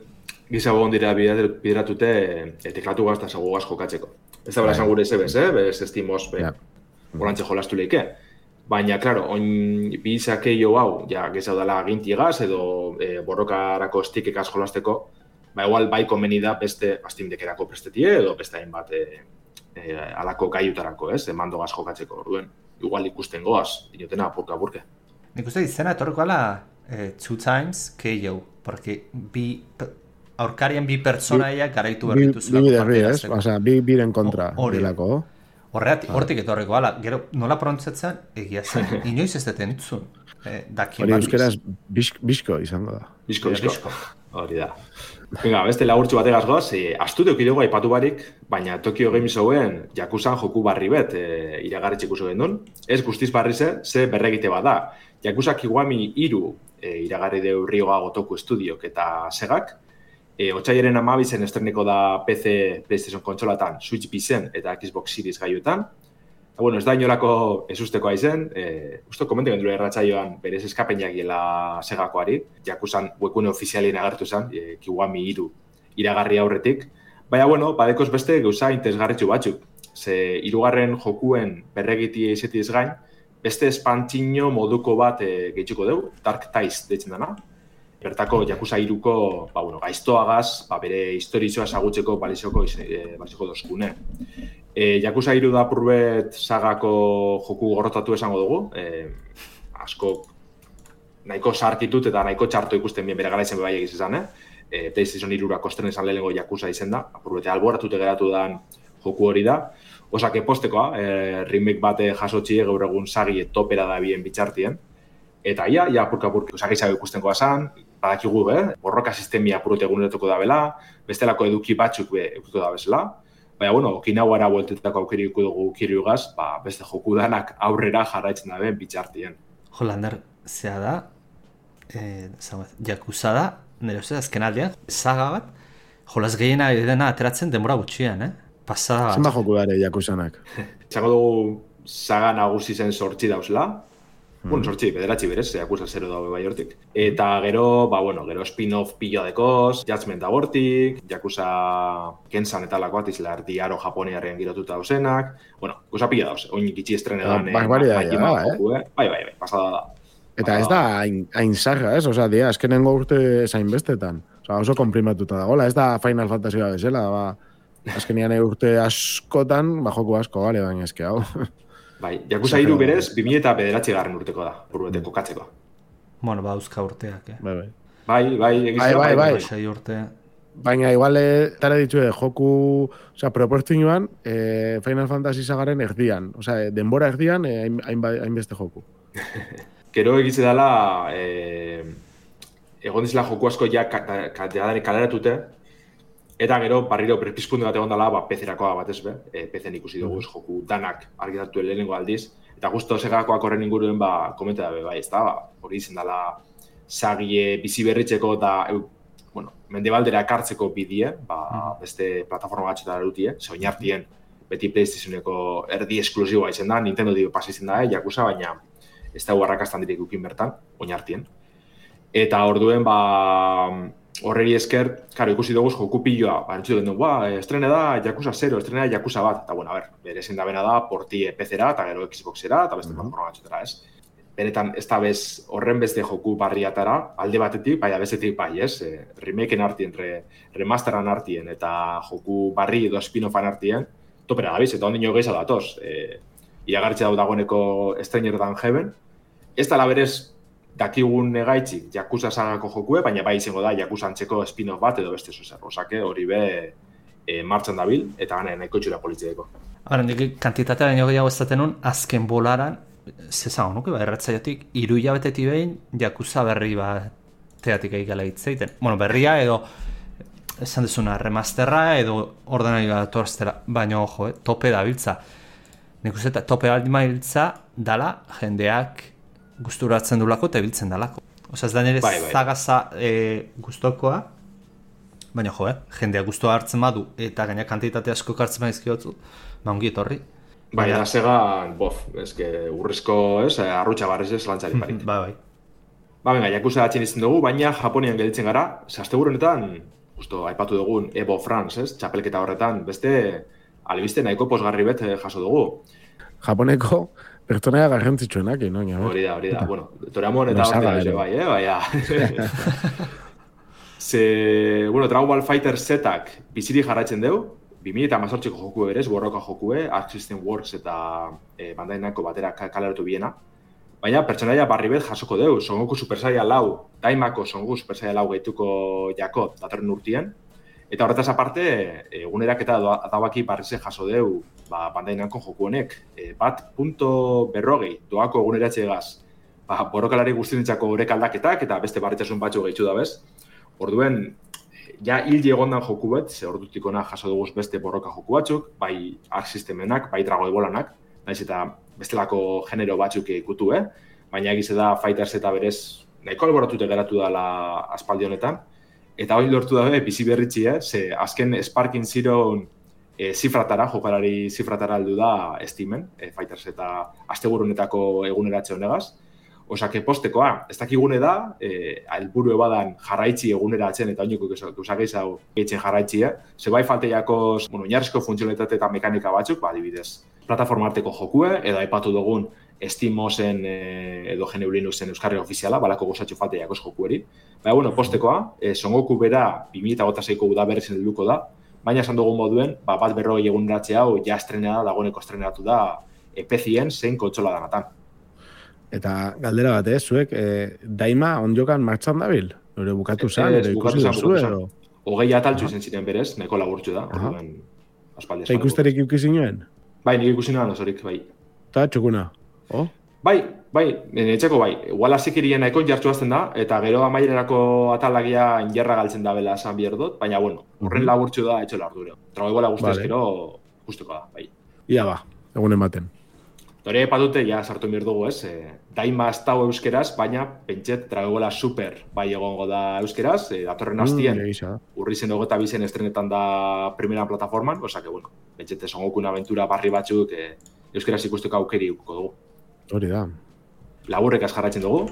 Speaker 4: gizago ondira bideratute e, teklatu gaz eta zago gaz jokatzeko. Ez da bera esan gure zebez, eh? Bez estimoz, be, ja. Olantxe jolastu leike. Baina, klaro, oin bizake jo hau, ja, gizau dela gintiegaz edo e, borrokarako stikekaz jolasteko, ba, igual bai komeni da beste astimdekerako prestetie edo beste hainbat e, e, alako gaiutarako, ez? Mando gaz jokatzeko, orduen. Igual ikusten goaz, dinotena apurka-apurke.
Speaker 5: Nik uste izena etorreko ala eh, two times K O, porque bi, aurkarien bi pertsonaiak garaitu berritu
Speaker 3: zulako. Bi biderri, ez? Osa, bi biren kontra delako.
Speaker 5: Horretik, hortik etorreko ala, gero nola prontzatzen egia zen, inoiz ez deten entzun. Eh,
Speaker 3: hori euskeraz bisko izango da.
Speaker 4: Bisko, bisko. Hori da. Venga, beste lagurtxu bategaz goaz, e, astude okidego aipatu barik, baina Tokyo Game Showen Yakuzan joku barri bet e, iragarri txikuso gendun. Ez guztiz barri ze, ze berregite bat da. Yakuza Kiwami hiru e, iragarri deu Ryoga Gotoku Studiok eta Segak. E, Otsaiaren amabizen estreneko da P C, PlayStation kontsolatan, Switch bizen eta Xbox Series gaiotan. Eta, bueno, ez da inolako ezusteko aizen, e, usto komente gendure erratzaioan berez eskapenak gela Segakoari, Yakuzan webgune ofizialien agertu zen, e, Kiwami hiru iragarri aurretik. Baina, bueno, badekoz beste gauza interesgarritxu batzuk. Ze hirugarren jokuen berregitia izetiz gain, beste espantzino moduko bat e, gehitxuko dugu, Dark Ties deitzen dana. Bertako Yakuza hiruko, ba, bueno, gaiztoagaz, ba, bere historizoa ezagutzeko balizoko, e, balizoko dozkune. E, Yakuza hiru da purbet sagako joku gorrotatu esango dugu. E, asko nahiko sartitut eta nahiko txarto ikusten bien bere garaizen bebai egiz izan, eh? E, PlayStation hirurako estren izan lehenengo Yakuza izen da. Apurbete alboratute geratu dan joku hori da. Osake postekoa, e, remake bate jasotxie gaur egun sagi topera da bien bitxartien. Eta ia, ia apurka-apurka usagitzago ikustenkoa zan, badakigu, eh? Borroka sistemia apurute egunetuko da bela, bestelako eduki batzuk be eukiko da bezala. Baina, bueno, Okinawara bueltetako aukiriko dugu kiriugaz, ba, beste joku danak aurrera jarraitzen daben bitxartien.
Speaker 5: Jo, Lander, zea da, eh, Yakuza da, nire uste azken aldean, saga bat, jolaz gehiena dena ateratzen denbora gutxian, eh? Pasada bat.
Speaker 3: Zenba joku dara Yakuzanak?
Speaker 4: Txango dugu saga nagusi zen sortzi dauzela, Mm. Bueno, sortzi, bederatzi berez, Yakuza zero daue bai hortik. Eta gero, ba, bueno, gero spin-off pilo dekoz, Judgment da hortik, Yakuza Kensan eta lakoat izela erdiaro japoniaren girotuta dauzenak. Bueno, guza pila dauz, oin ikitsi estrenedan.
Speaker 3: Ba, bari da, ja, eh?
Speaker 4: Bai, bai, bai, pasada da.
Speaker 3: Eta ez da hain zarra, ez? Osa, dia, azkenengo urte zain bestetan. Osa, oso komprimatuta dagoela, ez da Final Fantasy bat bezala, ba, azkenean urte askotan, ba, joku asko, bale, baina eske hau.
Speaker 4: Bai, Yakuza hiru berez, bi mila bederatzi garren urteko da, burbete kokatzeko.
Speaker 5: Bueno, ba, euska urteak, eh?
Speaker 3: Bai, bai.
Speaker 4: Bai, bai, egizela,
Speaker 3: bai, bai,
Speaker 5: bai. Urte.
Speaker 3: Baina, igual, tara ditue, joku, oza, proportzioan, eh, Final Fantasy sagaren erdian. Oza, denbora erdian, eh, hainbeste hain joku.
Speaker 4: Gero egize dela, eh, egon dizela joku asko ja kaleratute, eta gero, barriro, berpizkunde bat egon dela, ba, P C-erakoa bat ez be, e, P C-en ikusi dugu joku danak argitatu lehenengo aldiz, eta justo segakoak horren inguruen, ba, komenta da, bai, ez da, ba, hori izan dela sagie bizi berritzeko eta, bueno, mendebaldera ekartzeko bidie, ba, beste plataforma batxetara dutie, ze oinartien, beti PlayStationeko erdi esklusiboa izan da, Nintendo dio pasa izan da, eh, Yakuza, baina ez da huarrakastan direk ukin bertan, oinartien. Eta orduen, ba, horreri esker, karo, ikusi dugu joku piloa, ba, entzutu den dugu, ba, estrene da Yakuza zero, estrene da Yakuza bat, eta, bueno, a ber, bere ezin da bena da, porti P C-era, eta gero Xbox-era, eta beste plataforma batxetara, ez? Benetan, ez da bez, horren beste joku barriatara, alde batetik, bai, bestetik bai, ez? E, remakeen artien, re, remasteran artien, eta joku barri edo spin-offan artien, topera gabiz, eta ondino gehiago datoz. E, iragartxe dau dagoeneko Stranger Than Heaven. Ez da laberez, dakigun negaitzik Yakuza sagako jokue, baina bai izango da Yakuza antzeko spin-off bat edo beste zuzer. Osake, hori be e, martxan dabil, eta gane nahiko txura politzeeko.
Speaker 5: Hora, nik kantitatea baino gehiago ez daten azken bolaran, zezango nuke, ba, erratzaiotik, iru hilabetetik behin, Yakuza berri bat teatik egikala hitzeiten. Bueno, berria edo, esan dezuna, remasterra edo ordenari bat torztera, baina ojo, eh, tope da biltza. Nik uste eta tope baldin biltza dala jendeak gusturatzen dulako eta biltzen dalako. Osa ez da nire bai, bai. zagaza e, guztokoa, baina jo, eh, jendeak guztua hartzen badu eta gaina kantitate asko kartzen baizkiotzu, ba ongi etorri.
Speaker 4: Baina segan, bof, eske urrizko, ez, arrutxa barrez ez lantzari parik.
Speaker 5: Ba, bai.
Speaker 4: Ba, venga, Yakuza datzen izan dugu, baina Japonian gelditzen gara, zazteguru honetan, justo, aipatu dugun Evo France, ez, txapelketa horretan, beste, albiste nahiko posgarri bet jaso dugu.
Speaker 3: Japoneko pertsonea garrantzitsuenak, no?
Speaker 4: Hori da, hori da, bueno, Toramon eta horretan, bai, eh, baina. Ze, bueno, Dragon Ball Fighter Z-ak biziri jarraitzen dugu, bi mila hemezortziko joku berez, borroka jokue, Arc System Works eta e, Bandai Namco batera kaleratu biena. Baina pertsonaia barri bet jasoko dugu, Son Goku Super Saiyan lau, Daimako Son Goku Super Saiyan lau gehituko jako datorren urtien. Eta horretaz aparte, egunerak eta adabaki barrize jaso dugu ba, Bandai Namco joku honek. E, bat punto berrogei doako eguneratxe egaz, ba, borrokalari guztientzako horrek aldaketak eta beste barritasun batzu gehitzu da bez. Orduen, ja hil egondan joku bat, ze ordutik ona jaso dugu beste borroka joku batzuk, bai Arc Systemenak, bai Dragon Ballanak, naiz eta bestelako genero batzuk ikutu, eh? Baina egize da Fighters eta berez nahiko alboratute geratu dela aspaldi honetan. Eta hori lortu da bizi berritzi, eh? Ze azken Sparking Zeroen e, zifratara, jokalari zifratara aldu da Steamen, e, Fighters eta asteburu honetako eguneratze honegaz. Osake postekoa, ez dakigune da, eh, helburu ebadan jarraitzi eguneratzen eta oiniko guzakeiz hau geitzen jarraitzi, eh? Ze bai falteiako, bueno, oinarrizko funtzionalitate eta mekanika batzuk, ba, adibidez, plataforma arteko jokue, edo aipatu dugun Steamosen eh, edo G N U Linuxen euskarri ofiziala, balako gozatxo falteiako jokueri. Baina, bueno, postekoa, eh, Son Goku bera bi mila hogeita seiko udaberrizen helduko da, baina esan dugun moduen, ba, bat berrogei eguneratze hau ja estrenea da, dagoeneko estrenatu da e P C-en zein kontsola danatan.
Speaker 3: Eta galdera bat, eh, zuek, eh, Daima onjokan martxan dabil? Nore bukatu zan, ere ikusi duzu, edo?
Speaker 4: Hogei ataltzu izen ziren berez, neko laburtzu da, orduan aspaldi.
Speaker 3: Eta ikusterik ikusi nuen?
Speaker 4: Bai, nik ikusi nuen osorik, bai.
Speaker 3: Eta txukuna, oh?
Speaker 4: Bai, bai, etxeko bai. Igual azikirien nahiko jartzu azten da, eta gero amaierako atalagia injerra galtzen da bela esan bier dut, baina, bueno, horren laburtzu da etxola ardure. Trago iguala guztu ezkero, guztuko da, bai.
Speaker 3: Ia ba, egunen baten.
Speaker 4: Hore patute, ja, sartu mir dugu, ez? E, Daima ez dago euskeraz, baina pentset Dragola Super bai egongo da euskeraz, e, datorren hastien, mm, urri zen hogeita bizen estrenetan da primera plataforman, osa que, bueno, pentset Son Gokun aventura barri batzuk e, euskeraz ikusteko aukeri uko dugu.
Speaker 3: Hori da.
Speaker 4: Laburrekaz jarraitzen dugu.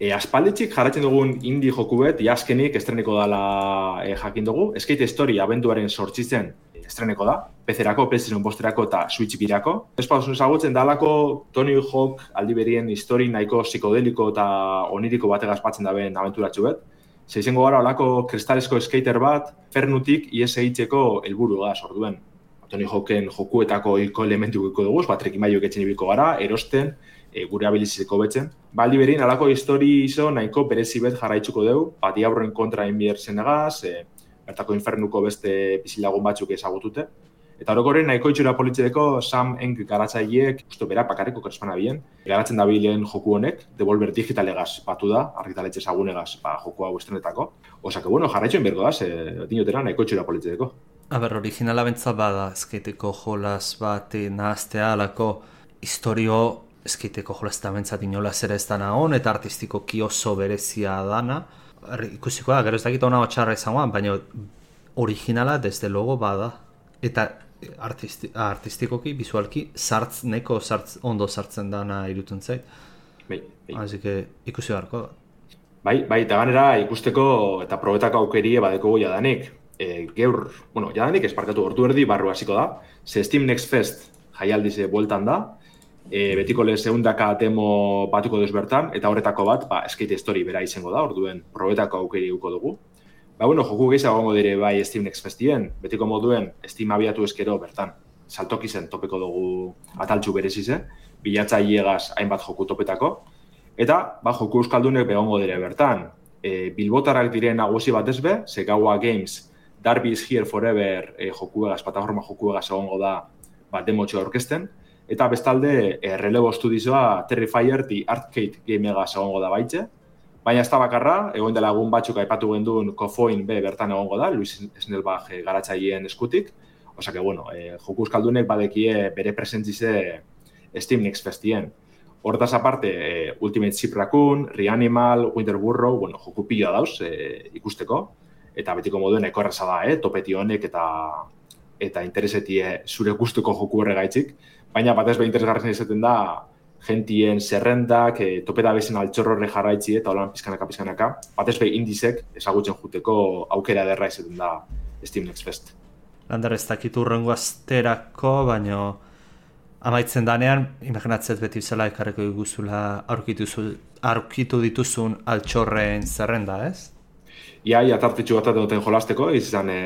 Speaker 4: E, aspalditxik jarraitzen dugun indie joku bet, jaskenik estreneko dala e, jakin dugu. Skate Story abenduaren sortzitzen estreneko da, P C-erako, PlayStation bosterako eta Switch birako. Espauzun ezagutzen dalako Tony Hawk aldi berien histori nahiko psikodeliko eta oniriko bategaz batzen daben abenturatxu bet. Zeizengo gara olako kristalesko skater bat, fernutik ies egitzeko helburu gaz, orduen. Tony Hawken jokuetako hilko elementu guiko dugu, bat trekimaiok etxen ibilko gara, erosten, e, gure abilizizeko betzen. Ba, aldi berien, alako histori izo nahiko berezi bet jarraitzuko dugu, bat diaborren kontra enbier zenegaz, e, bertako infernuko beste bizilagun batzuk ezagutute. Eta orokorren nahiko itxura politzeko Sam Eng garatzaileek, usto bera, pakarriko kerespana bien, garatzen dabilen joku honek, Devolver Digitalegaz batu da, argitaletxe ezagunegaz ba, joku hau estrenetako. Osa que, bueno, jarraitxoen bergo da, ze dinotera nahiko itxura politzeko.
Speaker 5: Aber, originala bentza bada, eskaiteko jolas bat nahaztea alako historio eskaiteko jolas eta bentzat inolaz ere ez dana hon, eta artistikoki oso berezia dana. Ikusiko da, gero ez dakit hona txarra izangoan, baina originala desde logo bada. Eta artisti, artistikoki, bizualki, sartz, neko sartz, ondo sartzen dana irutun zait.
Speaker 4: Bai, bai.
Speaker 5: Así que ikusi beharko da.
Speaker 4: Bai, bai, eta ganera ikusteko eta probetako aukerie badeko jadanik. E, geur, bueno, jadanik esparkatu ordu erdi barru hasiko da. Ze Steam Next Fest jaialdize bueltan da. E, betiko lehen segundaka demo batuko duz bertan, eta horretako bat, ba, Skate Story bera izango da, orduen probetako aukeri uko dugu. Ba, bueno, joku gehiago gongo dire bai Steam Next Festien, betiko moduen Steam abiatu eskero bertan. Saltoki zen topeko dugu ataltxu berezize, bilatzailegaz hainbat joku topetako. Eta, ba, joku euskaldunek begongo dire bertan. E, Bilbotarrak diren nagusi bat ezbe, Segawa Games, Darby is Here Forever e, jokuegaz, plataforma jokuegaz egongo da, ba, demotxo aurkezten. eta bestalde e, relebo estudioa Terrifier the Arcade Gamega egongo da baitxe. Baina ez da bakarra, egon dela egun batzuk aipatu genduen Kofoin be bertan egongo da, Luis Snellbach e, garatzaileen eskutik. Osa que, bueno, e, joku euskaldunek badekie bere presentzize Steam Next Festien. Hortaz aparte, e, Ultimate Ship Raccoon, Reanimal, Winter Burrow, bueno, joku pila dauz e, ikusteko. Eta betiko moduen ekorreza da, eh? Topeti honek eta eta interesetie zure gustuko joku horregaitzik. Baina batez be interesgarren izaten da, gentien zerrendak, e, topeta bezen altxorrorre jarraitzi eta holan pizkanaka pizkanaka. Batez be indizek ezagutzen juteko aukera derra izaten da Steam Next Fest.
Speaker 5: Lander ez dakit urrengo asterako, baina amaitzen danean, imaginatzet beti bezala ekarreko diguzula aurkitu, aurkitu dituzun altxorren zerrenda, ez?
Speaker 4: Ia, ia tartitxu bat duten jolasteko, izan e,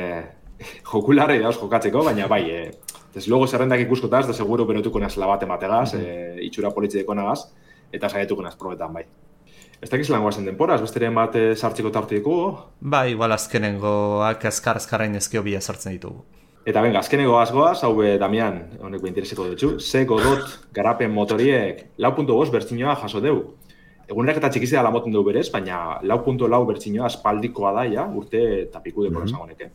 Speaker 4: jokularri dauz jokatzeko, baina bai, e, desde luego zerrendak ikuskotaz, da seguro berotuko nazela bat emategaz, mm-hmm. e, itxura politzideko nagaz, eta saietuko naz probetan bai. Ez dakiz lan guazen denporaz, besteren bat e, sartzeko tarte ditugu?
Speaker 5: Ba, igual azkenengoak azkar-azkarrain ezkio bila sartzen ditugu.
Speaker 4: Eta venga, azkenengo azgoaz, hau be, Damian, honek intereseko dutxu, ze godot garapen motoriek lau puntu bost bertzinoa jaso deu. Egunerak eta txikizia la moten dugu berez, baina lau puntu lau bertzinoa espaldikoa da, ja, urte eta piku deko mm-hmm. honeke.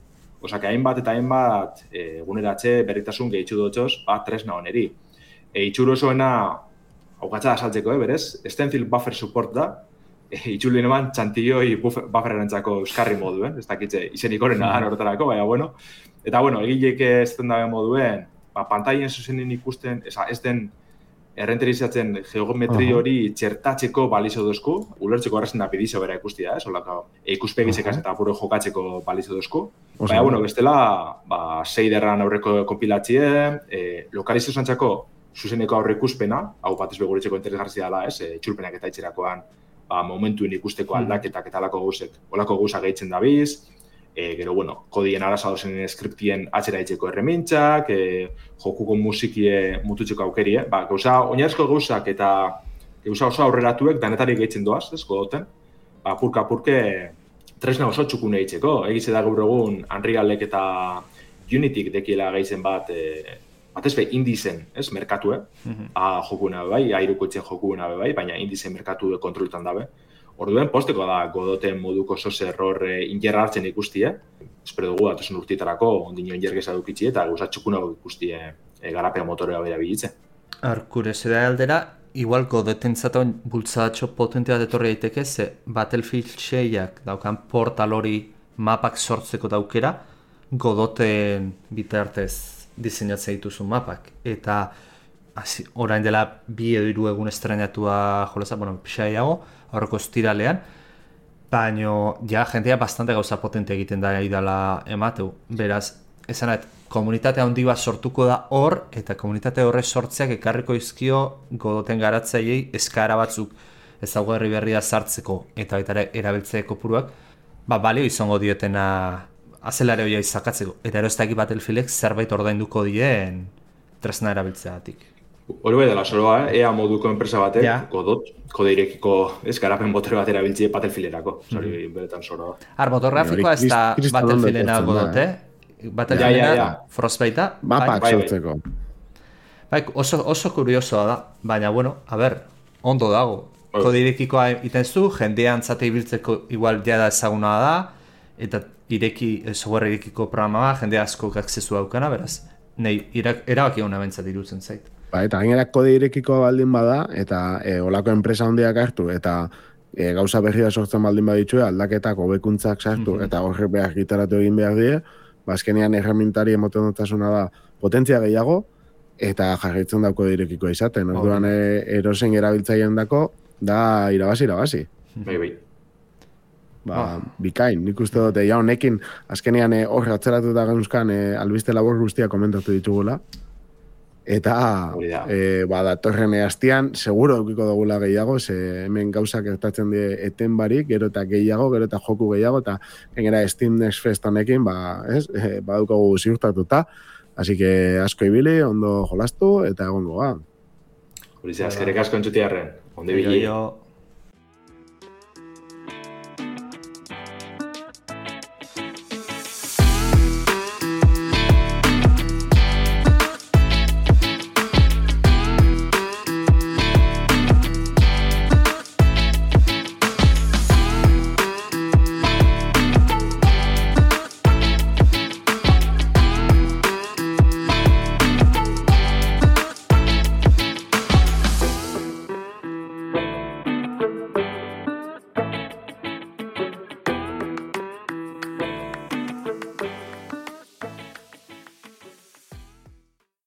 Speaker 4: Osa, que hainbat eta hainbat e, eguneratxe berritasun gehitxu dutxoz, bat tresna honeri. E, itxuro osoena, hau gatza da saltzeko, eh, berez, Stencil Buffer Support da, e, itxulien eman txantioi bufferrentzako euskarri moduen, ez dakitze izenik horrena da horretarako, baina bueno. Eta bueno, egileek ez den dabe moduen, ba, pantaien zuzenin ikusten, eza, ez den errenterizatzen geometri hori txertatzeko balizo dozku, ulertzeko arrazen da pidizio bera ikustia, ez, olako ikuspegizekaz eta apuro jokatzeko balizo dozku. Baina, bueno, bestela, ba, seiderran aurreko kompilatzie, e, lokalizio zantzako zuzeneko aurre ikuspena, hau bat ez beguritzeko interesgartzia dela, ez, e, txulpenak eta itxerakoan, ba, momentuen ikusteko aldaketak eta alako gauzek, olako gauza gehitzen dabiz, E, gero, bueno, kodien araza dozen skriptien atzera itzeko erremintzak, e, jokuko musikie mututzeko aukerie. Ba, gauza, oinarrizko gauzak eta gauza oso aurreratuek danetarik gehitzen doaz, ez, godoten. Ba, purka-purke tresna oso txukune itzeko. Egitze da gaur egun Unrealek eta Unityk dekiela gehitzen bat, e, bat ez be, indizen, ez, merkatue. Mm-hmm. A, jokuna bai, airuko itzen jokuna bai, baina indizen merkatu kontroltan dabe. Orduen, posteko da godoten moduko sos error e, ingerra hartzen ikustie. Espero dugu datozen urtietarako ondino ingergeza dukitzi eta gauza txukuna ikustie e, garapea motorea bera bilitze.
Speaker 5: Arkurezera aldera, igual godoten zaten bultzadatxo potentea detorri daiteke, ze Battlefield seiak daukan portal hori mapak sortzeko daukera, godoten bitartez diseinatzea dituzun mapak. Eta Asi, orain dela bi edo hiru egun estrenatua jolasa, bueno, pixaiago, horreko estiralean, baina ja jentea bastante gauza potente egiten da idala emateu. Beraz, esanet, komunitate handi bat sortuko da hor, eta komunitate horre sortzeak ekarriko izkio godoten garatzaiei eskara batzuk ezaugarri berria sartzeko eta baita erabiltzeeko puruak, ba, balio izango dietena azelare hoia izakatzeko. Eta erostak Battlefieldek zerbait ordainduko dien tresna erabiltzeatik.
Speaker 4: Hori bai dela soroa, eh? Ea moduko enpresa batek, ja. Godot, kode irekiko ez garapen motor bat erabiltzie Battlefielderako. Zori, mm. beretan soroa.
Speaker 5: Ar, motor grafikoa ez da Battlefielena Godot, eh? Battlefielena ja, ja, ja. Frostbatea.
Speaker 3: Mapak sortzeko.
Speaker 5: Bai, oso, oso kuriosoa da, baina, bueno, a ber, ondo dago. Kode irekikoa iten zu, jendean zate ibiltzeko igual jada ezaguna da, eta ireki, software irekiko programa ba, jende asko akzesu daukana, beraz, nahi, erabaki hona bentzat irutzen zait.
Speaker 3: Ba, eta gainera kode irekiko baldin bada, eta e, olako enpresa handiak hartu, eta e, gauza berria sortzen baldin baditue, aldaketak hobekuntzak sartu, mm-hmm. eta horrek behar gitaratu egin behar die, bazkenean erramintari emoten dutasuna da potentzia gehiago, eta jarraitzen da kode irekikoa izaten. Orduan oh. e, erosen erabiltzaileen dako, da irabazi, irabazi.
Speaker 4: Bai, bai.
Speaker 3: Ba, oh. bikain, nik uste dute, ja honekin, azkenean e, hor atzeratu da gauzkan, e, albiste labor guztia komentatu ditugula, eta e, ba, datorren hastian seguro edukiko dugula gehiago, ze hemen gauzak gertatzen die eten barik, gero eta gehiago, gero eta joku gehiago, eta gainera Steam Next Fest honekin, ba, ez, e, badukagu ziurtatuta, así que asko ibili, ondo jolastu, eta egongo, ba.
Speaker 4: Hori ze, azkerek asko entzutiarren, ondo ibili.